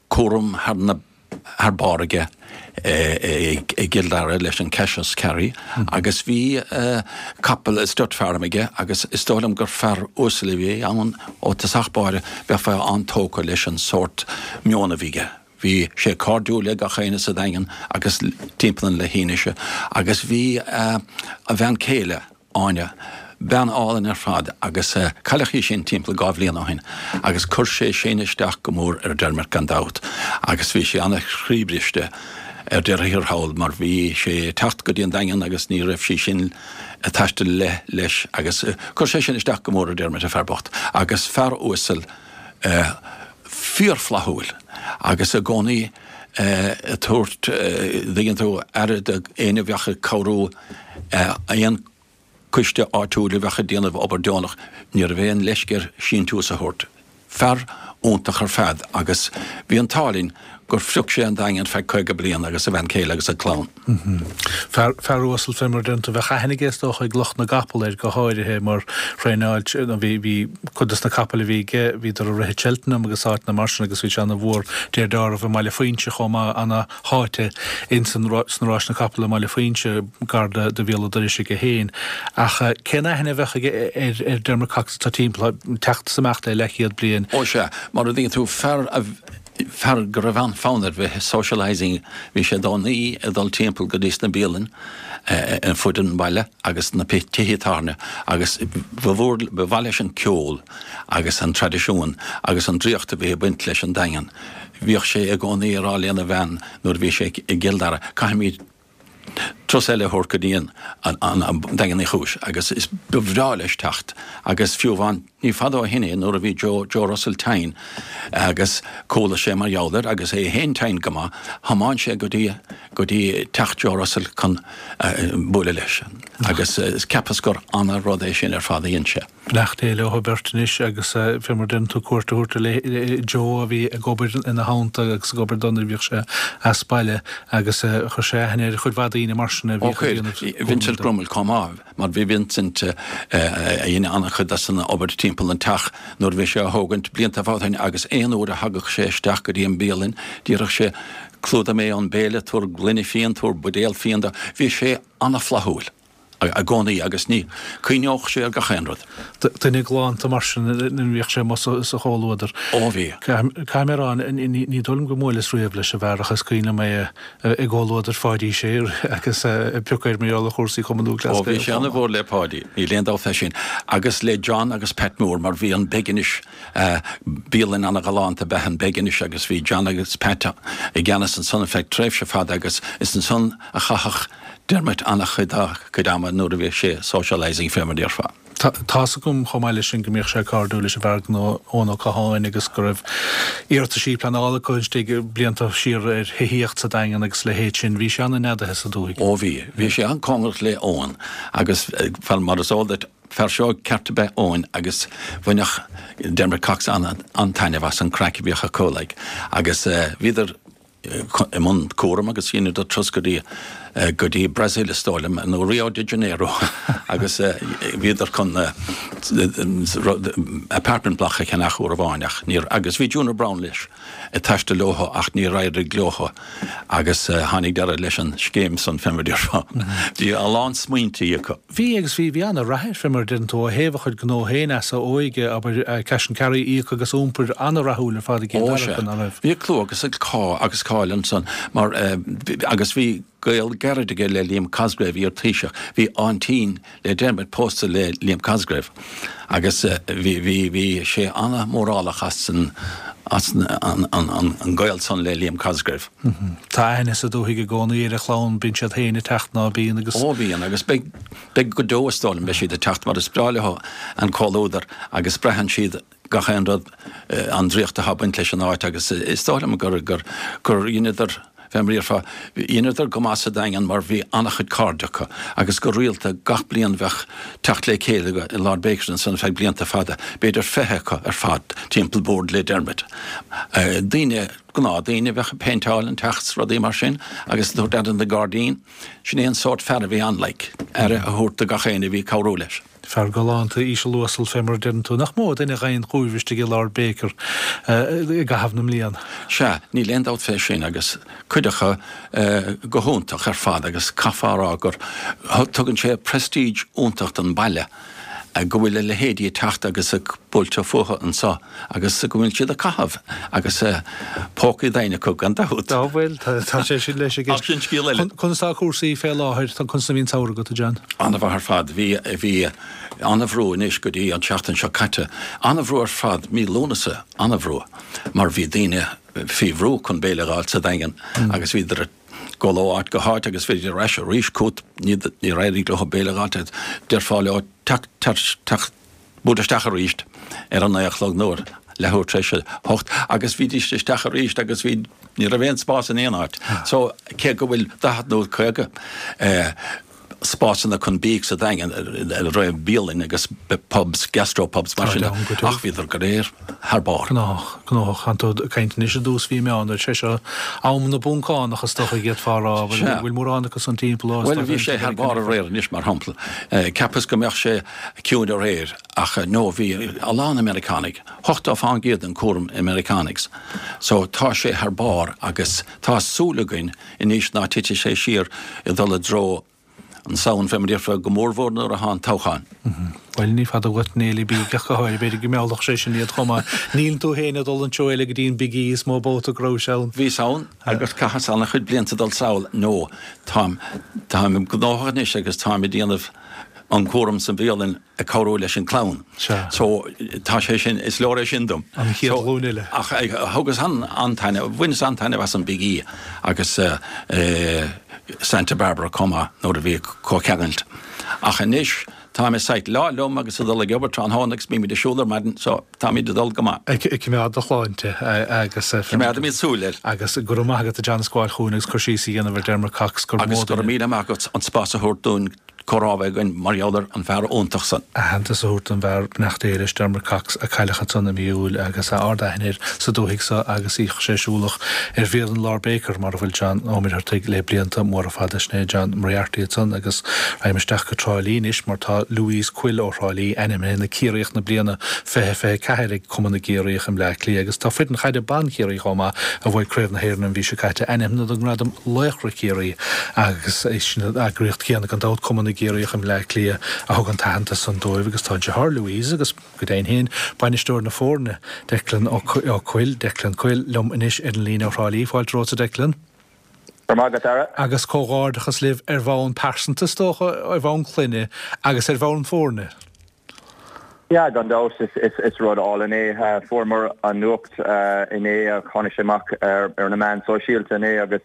cúram thar na thar barr aige i gCill Dara leis an Cassius Carry agus bhí capall stud farm aige agus is dóigh liom gur fear uasal a bhí ann ó tosach báire, bheifeá an-tógtha leis an sórt meon a bhí aige. Bhí sé cairdiúil le gach éinne sa Daingean agus timpeall an leithinise agus bhí a bhean céile, Áine, bean álainn ar fad agus cailleadh í sin timpeall 2 bhliain ó shin agus chuir sé sin isteach go mór ar Dermot gan dabht agus bhí sé ana-chroíbhriste ar deireadh thiar thall mar bhí sé ag teacht go dtí an Daingean agus ní raibh sí sin ag taisteal le leis agus chuir sé sin isteach go mór ar Dermot an fear bocht agus fear uasal fíorfhlaithiúil agus i gcónaí ag tabhairt, dtuigeann tú, aire d'éinne a bheadh ag cabhrú aon coiste áitiúil a bheadh ag déanamh obair deonach, ní raibh aon leisce air síntiús a thabhairt. Fear iontach ar fad agus bhí an t-ádh linn gur phrioc sé an Daingean feadh 50 bliain agus a bhean chéile agus a chlann. Fear, fear uasal fé mar a deireann tú. Bheadh aithne aige is dócha ag lucht na gcapall air go háirithe mar thraenáil, nó bhí, bhí cuid dos na capaill a bhí aige, bhíodar ag rith i Cheltenham agus áiteanna mar sin agus bhí sé ana mhór deir dealramh i mBaile Foinse chomh maith, ana sháite ins an, sna ráiseanna capall i mBaile Foinse, gar do, do Bhéal an Dorais aige féin. Ach cén aithne a bheadh aige ar, ar Dermot Cox atá timpeall, teacht is imeacht le leathchéad bliain? Ó sea, mar a dtuigeann tú, fear a, fear go raibh an-fhonn air bheith socialising, bhí sé i gcónaí ag dul timpeall go dtí sna bialainn ar fud an bhaile agus na tithe tábhairne agus ba mhór, ba mhaith leis an ceol agus an traidisiún agus an draíocht a bhí ag baint leis an Daingean. Bhíodh sé i gcónaí ag rá lena bhean nuair a bhí sé i gCill Dara, caithfimid turas eile a thabhairt go dtí an Daingean Uí Chúis agus is ba bhreá leis teacht agus fiú amháin ní fada ó shin é nuair a bhí Joe, Joe Russell tinn agus chuala sé mar gheall air agus é féin tinn go maith, thiomáin sé go dtí, go dtí teach Joe Russell chun bualadh leis agus cheapas gur ana-rud é sin ar fad a dhein sé. Beannacht Dé leo beirt anois agus fé mar deireann tú cuairt a thabhairt ar Joe a bhí ag obair ina theannta agus ag obair dó nuair a bhíodh sé as baile agus chuir sé aithne ar chuid mhaith daoine mar sin a bhíodh ag déanamh cúram dó. Vincent Grummel chomh maith mar bhí Vincent a dhein an-chuid as an obair timpeall an teach nuair a bhí sé á thógaint blianta fada ó shin agus aon uair a thagadh sé isteach go dtí an bialann déarfadh sé clúdaigh mé an béile, tabhair gloine fíon, tabhair buidéal fíon do. Bhí sé ana-fhlaithiúil. i gcónaí agus ní cuimhneodh sé ar gach aon rud. Duine galánta mar sin nuair a bhíodh sé amuigh sa chomhluadar. Ó bhí. Caithfidh mé a rá, ní dóigh liom go mbuaileas riamh leis an bhfear ach is cuimhin liom é i gcomhluadar Pháidí Sé agus ag piocadh air mar gheall ar chúrsaí Chumann Lúthchleas Ó bhí sé ana-mhór le Páidí, níl aon dabht fé sin. Agus le John agus Pat Moore mar bhí an Beginish, bialann ana-ghalánta ab ea an Beginish agus bhí John agus Pat i gceannas ansan ar feadh tréimhse fada agus is ansan a chaitheadh Dermot an-chuid dá chuid ama nuair a bhíodh sé socialising fé mar a déarfá. Tá's agam chomh maith leis sin go mbíodh sé cairdiúil leis an bhfear gnó Eoin Ó Catháin agus go raibh iarrataisí pleanála acu istigh blianta siar ar thithíocht sa Daingean agus a leithéid sin. Bhí sé an-neadaithe sa dúthaigh. Ó bhí. Bhí sé an-cóngarach le Eoin agus mar is eol duit, fear seoigh ceart ab ea Eoin agus bhaineadh Dermot Cox an-taitneamh as an craic a bhíodh acu like agus bhíodar i mbun cúraim agus dheineadar turas go dtí. go dtí Brasil is dóigh liom, nó Rio de Janeiro agus bhíodar chun apartment block a cheannach uair amháin ach níor, agus bhí Junior Browne leis ag taisteal leo ach níor éirigh leo agus tháinig deireadh leis an scéim san fé mar a déarfá. Bhí a lán smaointí acu. Bhí agus bhí, bhí ana-rath air fé mar a deireann tú ó thaobh a chuid gnó féin as a óige, abair, Cash and Carry, íoc agus iompair, ana-rathúil ar fad i gCill Ó sea. Dara, ná raibh? Bhí clú agus agus cáil ansan mar agus bhí gaol gairid aige le Liam Cosgrave, iar-Taoiseach. Bhí aintín le Dermot pósta le Liam Cosgrave agus bhí, bhí, bhí sé ana-mhórálach as an, as an, an, an gaol san le Liam Cosgrave. Tá aithne sa dúthaigh i gcónaí ar a chlann, bíonn siad féin ag teacht ná bíonn agus. Ó bhíonn agus beidh, beidh go deo is dóigh liom, beidh siad ag teacht mar is breá leo an comhluadar agus braitheann siad gach aon rud, an draíocht atá ag baint leis an áit agus is dóigh liom gur, gur, gur dheineadar, fé mar a déarfá, dheineadar go maith sa Daingean mar bhí an-chuid cairde acu agus go rialta gach bliain bheadh teacht le chéile i Lord Baker's ansan ar feadh blianta fada, b'fhéidir 20 acu ar fad timpeall boird le Dermot. Daoine, gnáthdaoine a bheadh ag péinteáil an teach 's rudaí mar sin agus ag tabhairt aire don ghairdín. Sin é an sórt fear a bhí ann, like, aire a thabhairt do gach éinne a bhí ag cabhrú leis. Fear galánta, íseal uasal fé mar a deireann tú. Nach mó duine a gheibheann chugaibh istigh i Lord Baker i gcaitheamh na mblian? Sea, níl aon dabht fé sin agus cuid acu go hiontach ar fad agus caithfeá a rá gur tugann sé prestige iontach don baile go bhfuil a leithéidí ag teacht agus ag buailteadh fúthu anseo agus go bhfuil siad ag caitheamh agus pócaí daoine acu gan dabht. Á bhuel, tá sé sin leis i gceist. Ach sin scéal eile. Conas tá cúrsaí fé láthair? Conas a bhí an samhradh agat, a John? An-mhaith ar fad. Bhí, bhí an-bhrú anois go dtí an tseachtain seo caite. An-bhrú ar fad, mí Lúnasa, an-bhrú mar bhí daoine faoi bhrú chun béile a dh'fháilt sa Daingean agus bhíodar ag dul ó áit go háit agus bhíodar ar ais arís chugat, níor éirigh leo béile a dh'fháilt, déarfá leo teacht, teacht, teacht, buail isteach arís ar a naoi a chlog nó ar leathuair tar éis a hocht agus bhídís isteach arís agus bhí, ní raibh aon spás in aon áit. So, cé go bhfuil 40 nó 50 eh, spásanna chun bídh sa Daingean, ar bialann agus pubs, gastro pubs mar sin, ach bhíodar go léir thar barr. Gnóthach, gnóthach. Tánn tú ag caint anois i dtús mhí Meán, sé seo am na bPoncánach is dócha d'fhéadfá a rá, bhfuil bhfuil mórán acu san timpeall ó Bhuel bhí sé thar barr aréir anois mar shampla. Cheapas go mbeadh sé ciúin aréir ach no bhí a lán Meiriceánaigh, 80% den cúram Meiriceánaigh. So tá sé thar barr agus tá súil againn Anois ná titfidh sé siar ag dul i dtreo an Samhain fé mar a déarfá, go mórmhór nuair atá an toghchán. Bhuel, ní fada uait an fhéile bídh ach go háirithe, b'fhéidir go meallfadh sé sin iad chomh maith. Níl tú féin ag dul an treo eile go dtí an Big E is mó babhta go raibh sé ann. Bhíos ann agus chaitheas an-chuid blianta ag dul sall. No, táim, táim gnóthach anois agus táim ag déanamh an cúram sa bhialann ag cabhrú leis an clann. Sea. So, tá sé sin, is leor é sin dom. An chéad ghlúin eile. Ach thugas an-taitneamh, bhaineas an-taitneamh as an Big E agus Santa Barbara chomh maith nuair a bhí comhcheangailt. Ach anois, táim i sight lá liom agus ag dul ag obair tráthnóna agus bímid ag siúl ar maidin, so táimid ag dul go maith. Ag coimeád do shláinte agus. Coimeádaimid súil air. Agus go raibh maith agat a John as gabháil chugainn agus cur síos a dhéanamh ar Dermot Cox, gur mó duine. Agus go raibh míle maith agat an spás a thabhairt dúinn comhrá a bheith againn mar gheall ar an bhfear iontach san. Aitheantas a thabhairt don bhfear, beannacht Dé leis, Dermot Cox, a cailleadh ansan i mí Iúil agus ard-aithne air sa dúthaigh so agus bhíodh sé siúlach ar bhialann Lord Baker mar a bhfuil John Ó Muircheartaigh le blianta móra fada. Sin é John Moriarty ansan agus raghaim isteach go Trá Lí anois mar tá Louise Quill ó Thrá Lí ainmnithe ina Ciarraíoch na bliana 2024 ag Cumann na gCiarraíoch i mBleá Cliath agus tá foireann chaide ban Chiarraí chomh maith a bhuaigh Craobh na hÉireann an mhí seo caite ainmnithe don ngradam Laochra Chiarraí agus is í an eagraíocht chéanna gan dabht, Cumann na gCiarraíoch i mBleá Cliath, a thug an t-aitheantas san dóibh agus tá deartháir Louise agus, go deimhin féin, bainisteoir na foirne, Declan Ó Cuill, Declan Quill, liom anois ar an líne ó Thrá Lí. Fáilte romhat, a Declan. Go raibh maith agat, Dara. Agus comhghairdeachas libh ar bhonn pearsanta, is dócha, ar bhonn clainne agus ar bhonn foirne. Yeah, gan dabht, is rud álainn é. Fuaireamar an nuacht inné, tháinig sé amach ar na meáin sóisialta inné agus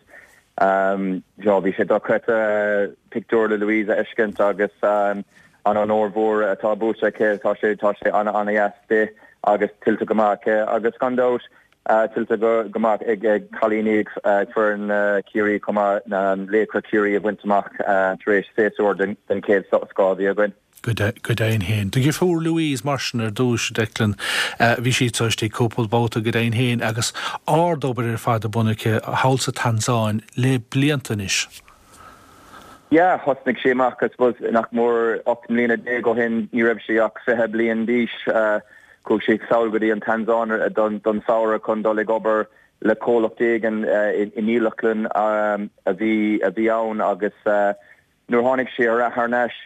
bhí sé dochreidte pictiúr le Louise a fheiscint agus an onóir mhór atá buaite aici. Tá sé tá sé an-an-dheas di agus tuillte go maith aici agus gan dabht tuillte go maith ag cailíní ag foireann Chiarraí chomh maith, Laochra Chiarraí a bhaint amach tar éis séasúr den chéad scoth a bhí againn. Go deimhin féin. Do dheirfiúr Louise mar sin ar dtúis, Declan, bhí sí anseo istigh cúpla babhta go deimhin féin agus ard-obair ar fad ar bun aici thall sa Tansáin le blianta anois. Yeah, thosnaigh sí amach, I suppose, nach mór 18 mbliana ó shin, ní raibh sí ach 20 bliain d'aois. Chuaigh sí sall go dtí an Tansáin don samhradh chun dul ag obair le comhlacht éigin i ndílleachtlann a bhí a bhí ann agus nuair a tháinig sí thar n-ais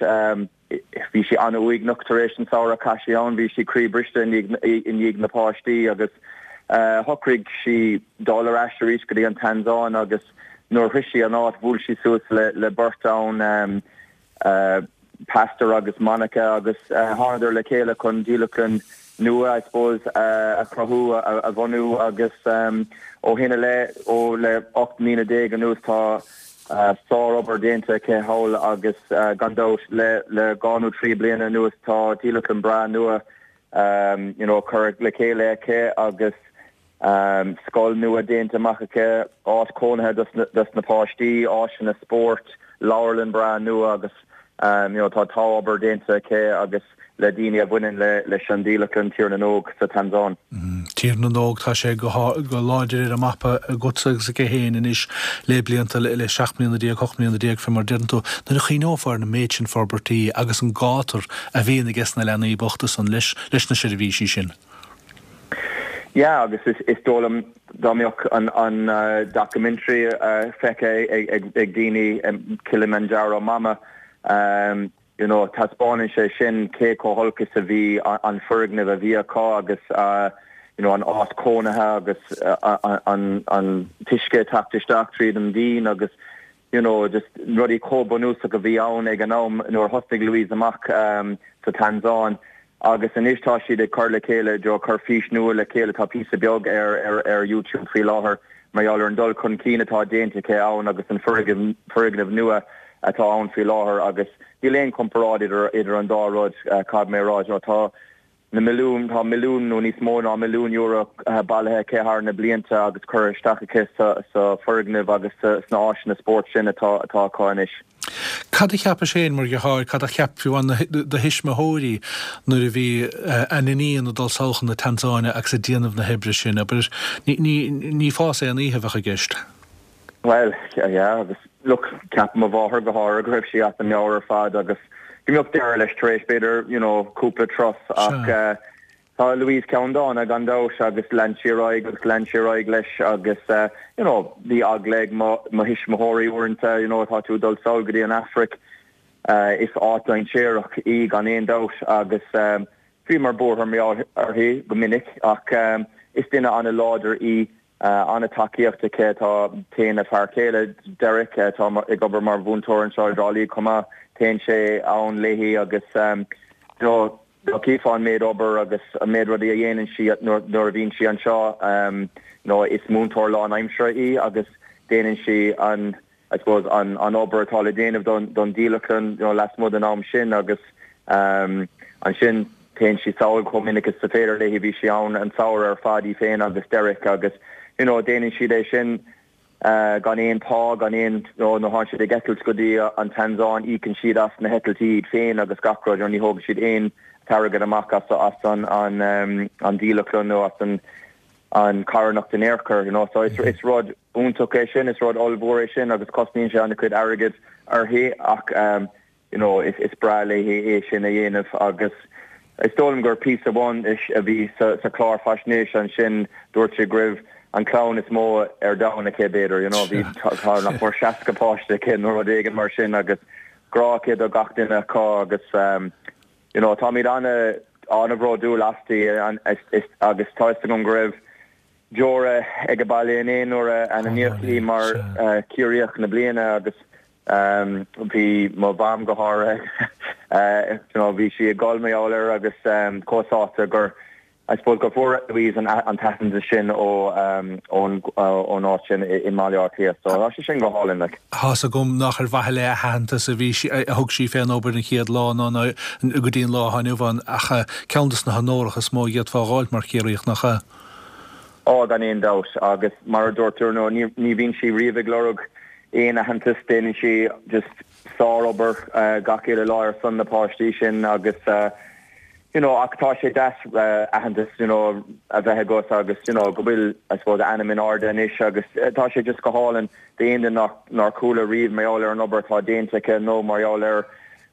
bhí sí an-uaigneach tar éis an samhradh a chaith sí ann, bhí sí croíbhriste i ndiaidh na páistí agus shocraigh sí dul ar ais arís go dtí an Tansáin agus nuair a shroich sí an áit bhuail sí suas le beirt ann, Pastor agus Monica agus thánadar le chéile chun dílleachtlann nua, I suppose, a chruthú, a bhunú agus ó shin i leith, ó le 18 mbliana anuas tá sár-obair déanta aici thall agus gan dabht le le dhá nó trí bliana anuas tá dílleachtlann breá nua you know curtha le chéile aici agus scoil nua déanta amach aici, áit chónaithe dos na páistí, áiseanna spóirt, leabharlann breá nua agus you know tá tá obair déanta aici agus le daoine a bhaineann le leis an dílleachtlann Tír na nÓg sa Tansáin. Tír na nÓg, tá sé go go láidir ar an mapa agatsa agus aici féin anois le blianta, le 17 mbliana, 18 mbliana fé mar a deireann tú. Nuair a chuimhneofá ar an méid sin forbairtí agus an gátar a bhíonn ages na leanaí bochta san leis leis na seirbhísí sin. Yeah agus is dóigh liom dá mbeadh an an documentary feicthe ag daoine Kilimanjaro Mama you know taispeánann sé sin cé chomh holc is a bhí an foirgneamh a bhí acu agus you know an áit chónaithe agus an an t-uisce ag teacht isteach tríd an díon agus you know just rudaí chomh bunúsach a bhí ann ag an am nuair a thosnaigh Louise amach sa Tansáin agus anois tá siad ag cur le chéile, you know, cur fís nua le chéile, tá píosa beag ar ar ar YouTube faoi láthair mar gheall ar an dul chun cinn atá déanta aici ann agus an foirgneamh foirgneamh nua atá ann faoi láthair agus níl aon chomparáid idir idir an dá rud, caithfidh mé a rá, you know, tá na milliúin, tá milliún nó níos mó ná milliún euro bailithe aici thar na blianta agus curtha isteach aici sa foirgneamh agus sna áiseanna spóirt sin atá acu anois. Cad a cheapais féin mar dheartháir, cad a cheap fiú amháin do thuismitheoirí nuair a bhí a n-iníon ag dul sall chun na Tansáine agus ag déanamh na hoibre sin? Abair, ní fás aon oíche a bheadh i gceist. Bhuel, yeah, agus look, ceapaim mo mháthair go háirithe go raibh sí as a meabhair ar fad agus go mbeadh deireadh leis tar éis b'fhéidir, you know, cúpla turas ach eh, tá Louise ceanndána gan dabht agus lean sí ar aghaidh agus lean sí ar aghaidh leis agus eh, you know, bhí eagla ag mo, mo thuismitheoirí uaireanta, you know, tá tú ag dul sall go dtí an Afraic, eh, is áit dainséarach í gan aon dabht agus eh, bhíomar buartha mar gheall uirthi go minic ach eh, is duine an-láidir í An-tacaíocht aici. Tá, téann a fear céile, Derek, atá ag obair mar mhúinteoir anseo i dTrá Lí chomh maith, téann sé ann léi agus you know dá gcífeá an méid obair agus an méid rudaí a dhéanann sí nuair a bhíonn sí anseo, you know is múinteoir lánaimseartha í agus déanann sí an I suppose, an obair atá le déanamh don dílleachtlann, you know, lasmuigh den am sin agus ansin téann sí sall chomh minic is is féidir léi, bhí sí ann an samhradh ar fad í féin agus Derek agus, you know, déanann siad é sin gan aon phá, gan aon, you know, nuair a théann siad ag eitilt go dtí an Tansáin íocann siad as na heitiltí iad féin agus gach rud, you know, ní thógann siad aon t-airgead amach as as an an dílleachtlann nó as an an charthanacht in aon chor, you know, so is rud iontach é sin, is rud ollmhór é sin agus cosnaíonn sé an-chuid airgid uirthi ach you know is is breá léi é sin a dhéanamh agus is dóigh liom gur píosa amháin a bhí sa sa chlár faisnéise ansin dúirt sé go raibh an clann is mó ar domhan aici b'fhéidir, you know, bhí tá nach mór 60 páiste aici nó rud éigin mar sin agus grá aici do gach duine acu agus You know, táimid an-bhródúil asti agus tá fhios agam go raibh deora ag an baile inné nuair a ainmníodh í mar Ciarraíoch na Bliana agus bhí mo mham go háirithe, you know, bhí sí ag gol mar gheall air agus chomh sásta gur I suppose go bhfuair Louise an t-aitheantas sin ón áit sin i mBaile Átha Cliath. So tá sé sin go hálainn like. Tá's agam nach ar mhaithe le haitheantas a bhí sí, a thug sí fén obair an chéad lá ná go dtí an lá atá inniu ann ach ceann dos na honóracha is mó a d'fhéadfá a dh'fháilt mar Chiarraíoch, nach ea? Á, gan aon dabht. Agus mar a dúirt tú, ar ndóigh, ní bhíonn sí riamh ag lorg aon aitheantas, déanann sí just sár-obair gach uile lá ar son na páistí sin agus. You know, ach tá sé deas aitheantas, you know, a bheith agat agus, you know, go bhfuil, I suppose, a ainm in airde anois agus tá sé just go hálainn d'aon duine nach, nár chuala riamh mar gheall ar an obair atá déanta aici nó mar gheall ar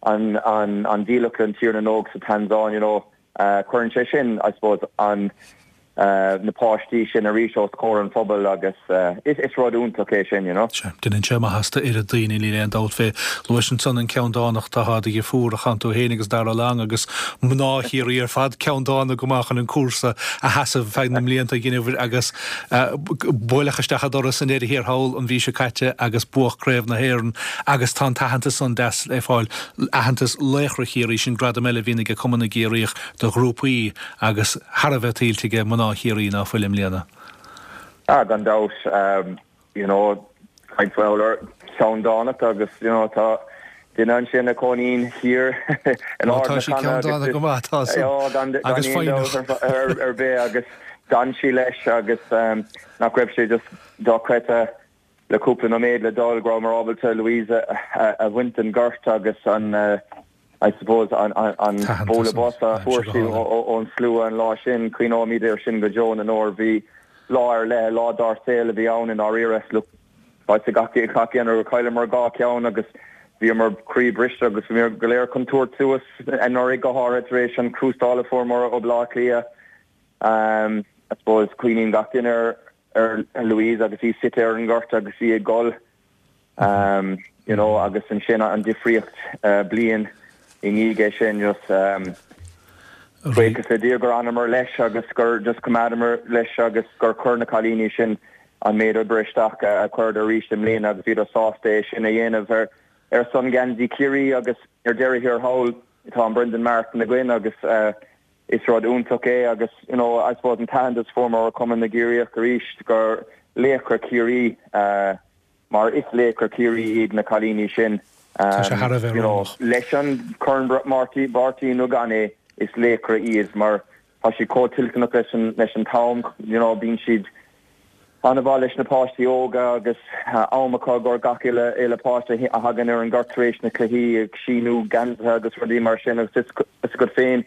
an, an, an dílleachtlann Tír na nÓg sa Tansáin, you know, cuireann sé sin, I suppose, an, na páistí sin arís os comhair an phobail agus is rud iontach é sin, you know. Sea, déanann sé maitheas d'oiread daoine, níl aon dabht fé. Luais ansan an ceanndánacht atá de dheirfiúr a chan tú féin agus Darragh Long agus mná Chiarraí ar fad ceanndána go maith chun an cúrsa a sheasamh feadh na mblianta a dheineabhair agus buaileadh isteach an doras i ndeireadh thiar thall an mhí seo caite agus buadh Craobh na hÉireann agus tá an t-aitheantas san deas le fáil, aitheantas Laochra Chiarraí, sin gradam eile a bhíonn ag Cumann na gCiarraíoch do ghrúpaí agus thar a bheith tuillte aige mná Chiarraí ná fuil i mbliana. Ah, gan dabht, you know, caint mhaith ar cheanndánacht agus, you know, tá duine ansin a chónaíonn thiar in Ard na Canna agus go maith, tá san, gan aon dabht ar bith agus d'fhan sí leis agus nach raibh sé just dochreidte le cúpla nóiméad le dul go rabhamar ábalta Louise a bhaint den ghort agus an I suppose an bualadh bos a fuair sí ón slua an lá sin, cuimhneoimid air sin go deo na ndeor. Bhí lá ar leith, lá dár saol a bhí ann i ndáiríre. Look, tá fhios ag gach éinne gur chailleamar 2 cheann agus bhíomar croí briste agus bhíomar go léir chun tabhairt suas anuraidh go háirithe tar éis an chrústáil a fuaireamar ó Bhaile Átha Cliath. I suppose cuimhníonn gach duine ar Louise agus í suite ar an ngort agus í ag gol. You know agus ansin an difríocht bliain i ndiaidh é sin just buíochas le Dia gur fhanamar leis agus gur just choimeádamar leis agus gur chuir na cailíní sin an méid oibre isteach a chuireadar arís i mbliana agus bhíodar sásta é sin a dhéanamh ar ar son geansaí Chiarraí agus ar deireadh thiar thall tá an Brendan Martin againn agus Is rud iontach é agus you know I suppose an t-aitheantas a fuaireamar ó Chumann na gCiarraíoch arís gur laochra Chiarraí mar is laochra Chiarraí iad na cailíní sin Tá sé thar a bheith you know oiriúnach. leis an Corn Mháirtín nó gan é is laochra iad mar tá siad chomh toilteanach leis an leis an t-am you know bíonn siad an-mhaith leis na páistí óga agus am acu i gcomhair gach uile uile páiste a thagann ar an ngort tar éis na cluichí ag síniú geansaithe agus rudaí mar sin agus tá fhios agat féin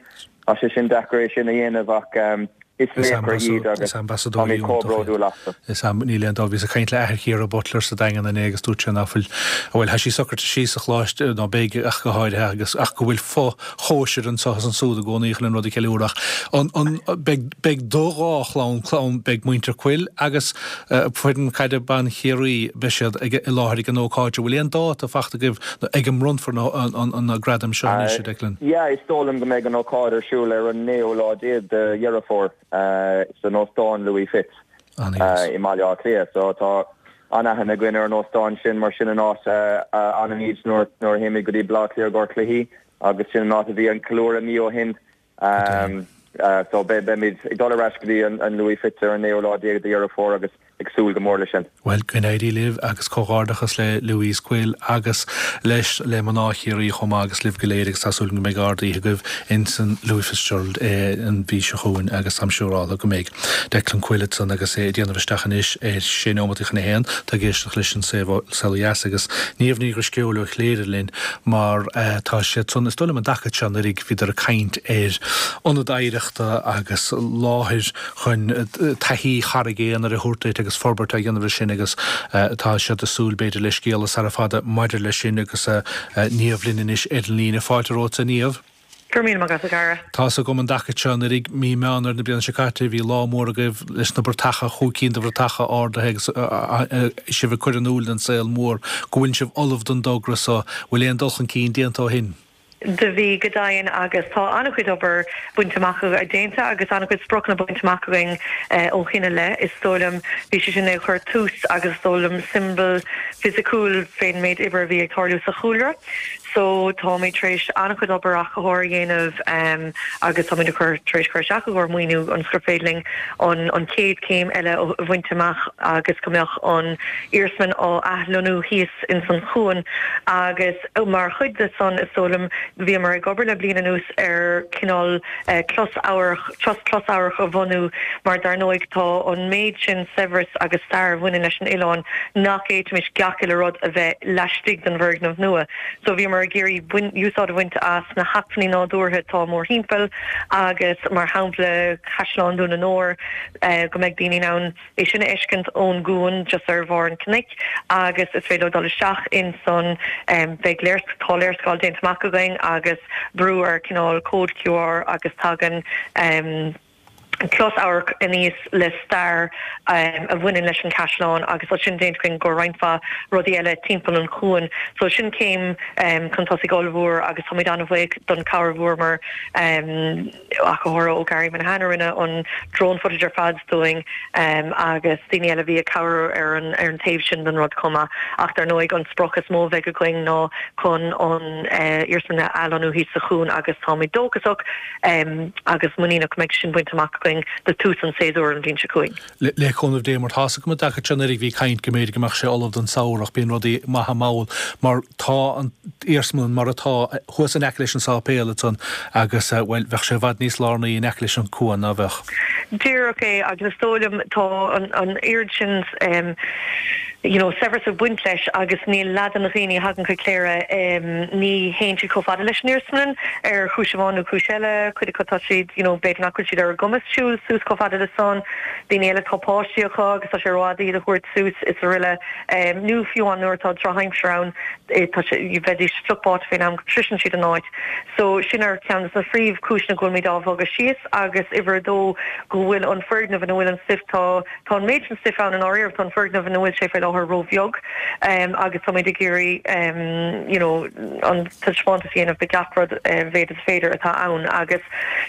tá sé sin deacair é sin a dhéanamh ach is laochra iad agus táimid chomh bródúil astu. Is am, níl aon dabht, bhíos ag caint le athair Chiara Butler sa Daingean inné agus dúirt sé ná fuil, bhuel, tá sí socraithe síos sa choláiste, nó beidh ach go háirithe, agus ach go bhfuil fo chóisir anseo is ansúd i gcónaí chun an rud a cheiliúradh ach an, an, beidh, beidh do dhá chlann, clann, beidh muintir Quill agus foireann caide ban Chiarraí, beidh siad ag, i láthair ag an ócáid. An bhfuil aon dáta fachta agaibh nó ag a mbronnfar na, an, an, na gradaim seo anois, a Declan? Yeah, is dóigh liom go mbeidh an ócáid ar siúl ar an naoú lá déag de Dheireadh Fómhair san Óstán Louis Fitz i mBaile Átha Cliath. So tá an-aithne againn ar an óstán sin mar sin an áit a fhanaimid nuair a théimid go dtí Baile Átha Cliath i gcomhair cluichí agus sin an áit a bhí an ceiliúradh mí ó shin. So beimid ag dul ar ais go dtí an Louis Fitz ar an naoú lá déag de Dheireadh Fómhair agus ag súil go mór leis sin. Bhuel, go n-éirí libh agus comhghairdeachas le Louise Quill agus leis le mná Chiarraí chomh maith agus libh go léir agus tá súil agam go mbeidh ard-oíche agaibh ins an Louis Fitzgerald an mhí seo chugainn agus táim siúráltha go mbeidh. Declan Quill ansan agus é ag déanamh isteach anois ar sé neomataí chun a haon. Tá ag éisteacht leis an Saol Ó Dheas agus Niamh Ní Dhrisceoil ó Chléire linn mar tá siad san, is dóigh liom an dtaca seo anuraidh bhíodar ag caint ar ionad oidhreachta agus láthair chun taithí Charraig Aonair a thabhairt duit agus forbairt á dhéanamh air sin agus tá siad ag súil b'fhéidir le scéala sara fada maidir leis sin agus Niamh linn anois ar an líne. Fáilte romhat a Niamh. Go raibh míle maith agat, a Dhara. Tá's agam an dtaca seo anuraidh, mí Meán Fhómhair na bliana seo caite, bhí lá mór agaibh leis na bratacha, chúig cinn de bhratacha ardaithe agus sibh ag cur in iúl don saol mór go bhfuil sibh ullamh don dtogra so. Bhfuil aon dul chun cinn déanta ó shin? Do bhí, go deimhin, agus tá an-chuid obair bainte amach, déanta agus an-chuid spriocanna bainte amach againn ó shin i leith. Is dóigh liom, bhí sé sin ag cur tús agus is dóigh liom siombail fisiciúil fén méid oibre a bhí ag tarlú sa chúlra. So táimid tar éis an-chuid obair athchóirithe a dhéanamh agus táimid ag cur, tar éis cur isteach i gcomhair maoiniú ionas gur féidir linn an an chéad chéim eile a bhaint amach agus go mbeadh an iarsmalann á athlonnú thíos ins an chuan agus mar chuid de san is dóigh liom bhíomar ag obair le bliain anuas ar cineál closamhairc, trust closamhairc a bhunú mar dar ndóigh tá an méid sin saibhreas agus stair a bhaineann leis an oileán nach bhféadfaimis gach uile rud a bheith laistigh den bhfoirgneamh nua. So bhíomar. Bhíomar ag iarraidh úsáid a bhaint as na hacmhainní nádúrtha atá mórthimpeall agus mar shampla Caisleán Dún an Óir, go mbeidh daoine in ann é sin a fheiscint ón gcuan just ar bharr an chnoic agus is féidir leo dul isteach in san, beidh léarscáil, tá léarscáil déanta amach againn agus brú ar cineál cód QR agus tagann. closamhairc aníos le stair a bhaineann leis an chaisleán agus tá sin déanta againn go roinnt mhaith rudaí eile timpeall an chuain. So sin céim chun tosaigh ollmhór agus táimid an-bhuíoch don chabhair a bhfuaireamar ach go háirithe ó Gary Minihan a rinne an drone footage ar fad dúinn agus daoine eile a bhí ag cabhrú ar an ar an taobh sin den rud chomh maith. Ach dar ndóigh an sprioc is mó a bheidh againn ná chun an iarsmalann a athlonnú thíos sa chuan agus táimid dóchasach agus muiníneach go mbeidh sin bainte amach againn do tús an tséasúir an bhliain seo chugainn. Le cúnamh Dé, mar tá's agam i dtaca seo anuraidh bhí caint go mb'fhéidir go mbeadh sé ullamh don samhradh ach bíonn rudaí maithe mall mar tá an iarsmalann mar atá thuas in aice leis an sáipéal ansan agus, bhuel, bheadh sé i bhfad níos lárnaí in aice leis an cuan ná bheadh. Díreach é agus is dóigh liom tá an oiread sin you know saibhreas ag baint leis agus níl leath de na dhaoine a thagann chuig Cléire ní théann siad chomh fada leis an iarsmalann ar chúis amháin nó cúis eile, cuid acu tá siad you know b'fhéidir nach bhfuil siad ar a gcumas siúl suas chomh fada le san, daoine eile tá páistí acu agus tá sé rófhada iad a thabhairt suas is araile nó fiú amháin nuair atá drochaimsir ann tá sé bheidís fliuch báite faoin am go sroiseann siad an áit. So sin ar cheann de na phríomhchúiseanna go bhfuilimid á bhogadh síos agus uimhir a dó go bhfuil an foirgneamh ina bhfuil an stuif tá Tá an méid sin stuif ann i ndáiríre, tá an foirgneamh ina bhfuil sé faoi láthair róbheag agus táimid ag iarraidh you know an taispeántas a dhéanamh de gach rud a mhéad is féidir atá ann agus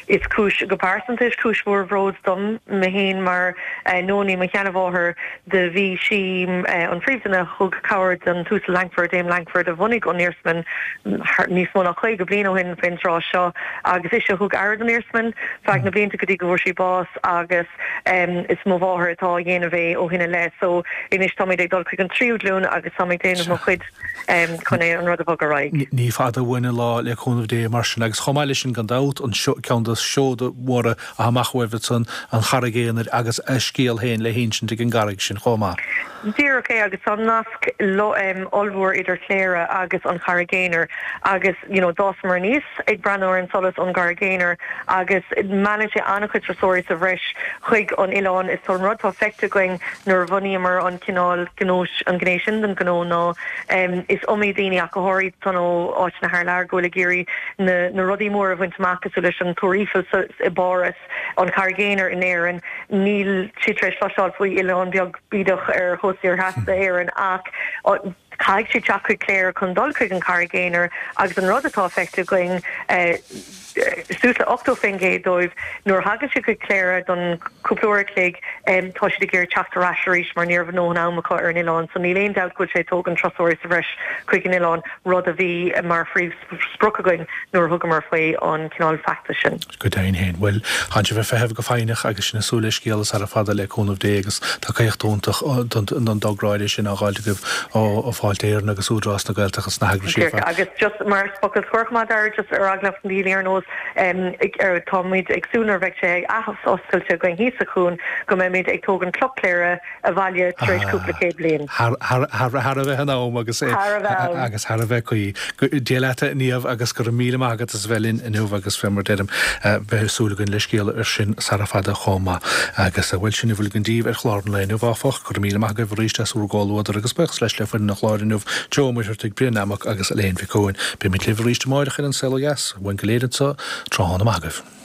is cúis, go pearsanta, is cúis mhór bhróid dom mé féin mar Nonie, mo sheanmháthair, do bhí sí an phríomhdhuine a thug cabhair don tUasal Lankford, Dame Lankford, a bhunaigh an iarsmalann níos mó ná 50 bliain ó shin faoin tráth seo agus ise a thug aire don iarsmalann feadh na blianta go dtí go bhfuair sí bás agus Is mo mháthair atá á dhéanamh é ó shin i leith so anois táimid ag dul chuig an tríú glúin agus táim ag déanamh mo chuid chun é an rud a bhogadh ar aghaidh. Ní fada uainn an lá le cúnamh Dé mar sin agus chomh maith leis sin gan dabht an ceann de seoda mhóra atá amach uaibh ansan, an Charraig Aonair agus a scéal féin le hinsint ag an gcarraig sin chomh maith. Díreach é agus tá nasc ollmhór idir Cléire agus an Charraig Aonair agus you know d'fhásamar aníos ag breathnú ar an solas ón gCarraig Aonair agus meallann sé an-chuid turasóirí sa bhreis chuig an oileán. Is an rud atá feicthe againn nuair a bhunaíomar an cineál gnó, an ghné sin den ghnó ná is iomaí daoine ach go háirithe atá ó áiteanna thar lear go bhfuil ag iarraidh na na rudaí móra a bhaint amach cosúil leis an Túr Eiffel sa i bPáras, an Charraig Aonair in Éirinn. Níl siad tar éis cloisteáil faoi oileán beag bídeach ar chósta thiar theas d'Éirinn ach Caithfidh siad teacht chuig Cléire chun dul chuig an Charraig Aonair agus an rud atá feicthe againn, suas le 80% dóibh, nuair a thagann siad chuig Cléire don chúpla uair a chloig, tá siad ag iarraidh teacht ar ais arís mar ní raibh a ndóthain am acu ar an oileán. So níl aon dabht go bhfuil sé ag tógaint turasóirí sa bhreis chuig an oileán, rud a bhí mar phríomhsprioc againn nuair a thugamar faoi an cineál feachtais sin. Go deimhin féin. Bhuel, tánn sibh ag feitheamh go foighneach agus sinn ag súil le scéala sara fada le cúnamh Dé agus tacaíocht iontach don dtogra áirithe sin á dh'fháilt agaibh ó Fáilte Éireann agus Údarás na Gaeltachta is na heagraisí ar fad. Agus just mar focal scoir chomh maith Dara, just ar eagla na ndaoine ar nós táimid ag súil nuair a bheidh sé athoscailte againn thíos sa chuan go mbeimid ag tógaint Cloch Chléire abhaile tar éis cúpla céad bliain. Thar a bheith in am agus agus thar a bheith cuí. Dia leat a Niamh agus go raibh míle maith agat as a bheith linn inniu agus fé mar deirim beidh súil againn le scéala ar sin sara fada chomh maith. Agus bhuel sin a bhfuil againn díbh ar chlár an lae inniu áfach. Go raibh míle maith agaibh arís as bhur gcomhluadar agus buíochas leis le foireann an chláir inniu, Joe Ó Muircheartaigh, Brian Nammock agus Elaine Mhic Eoin. Beimid libh arís amáireach ar An Saol Ó Dheas. Uainn go léir anseo, tráthnóna maith agaibh.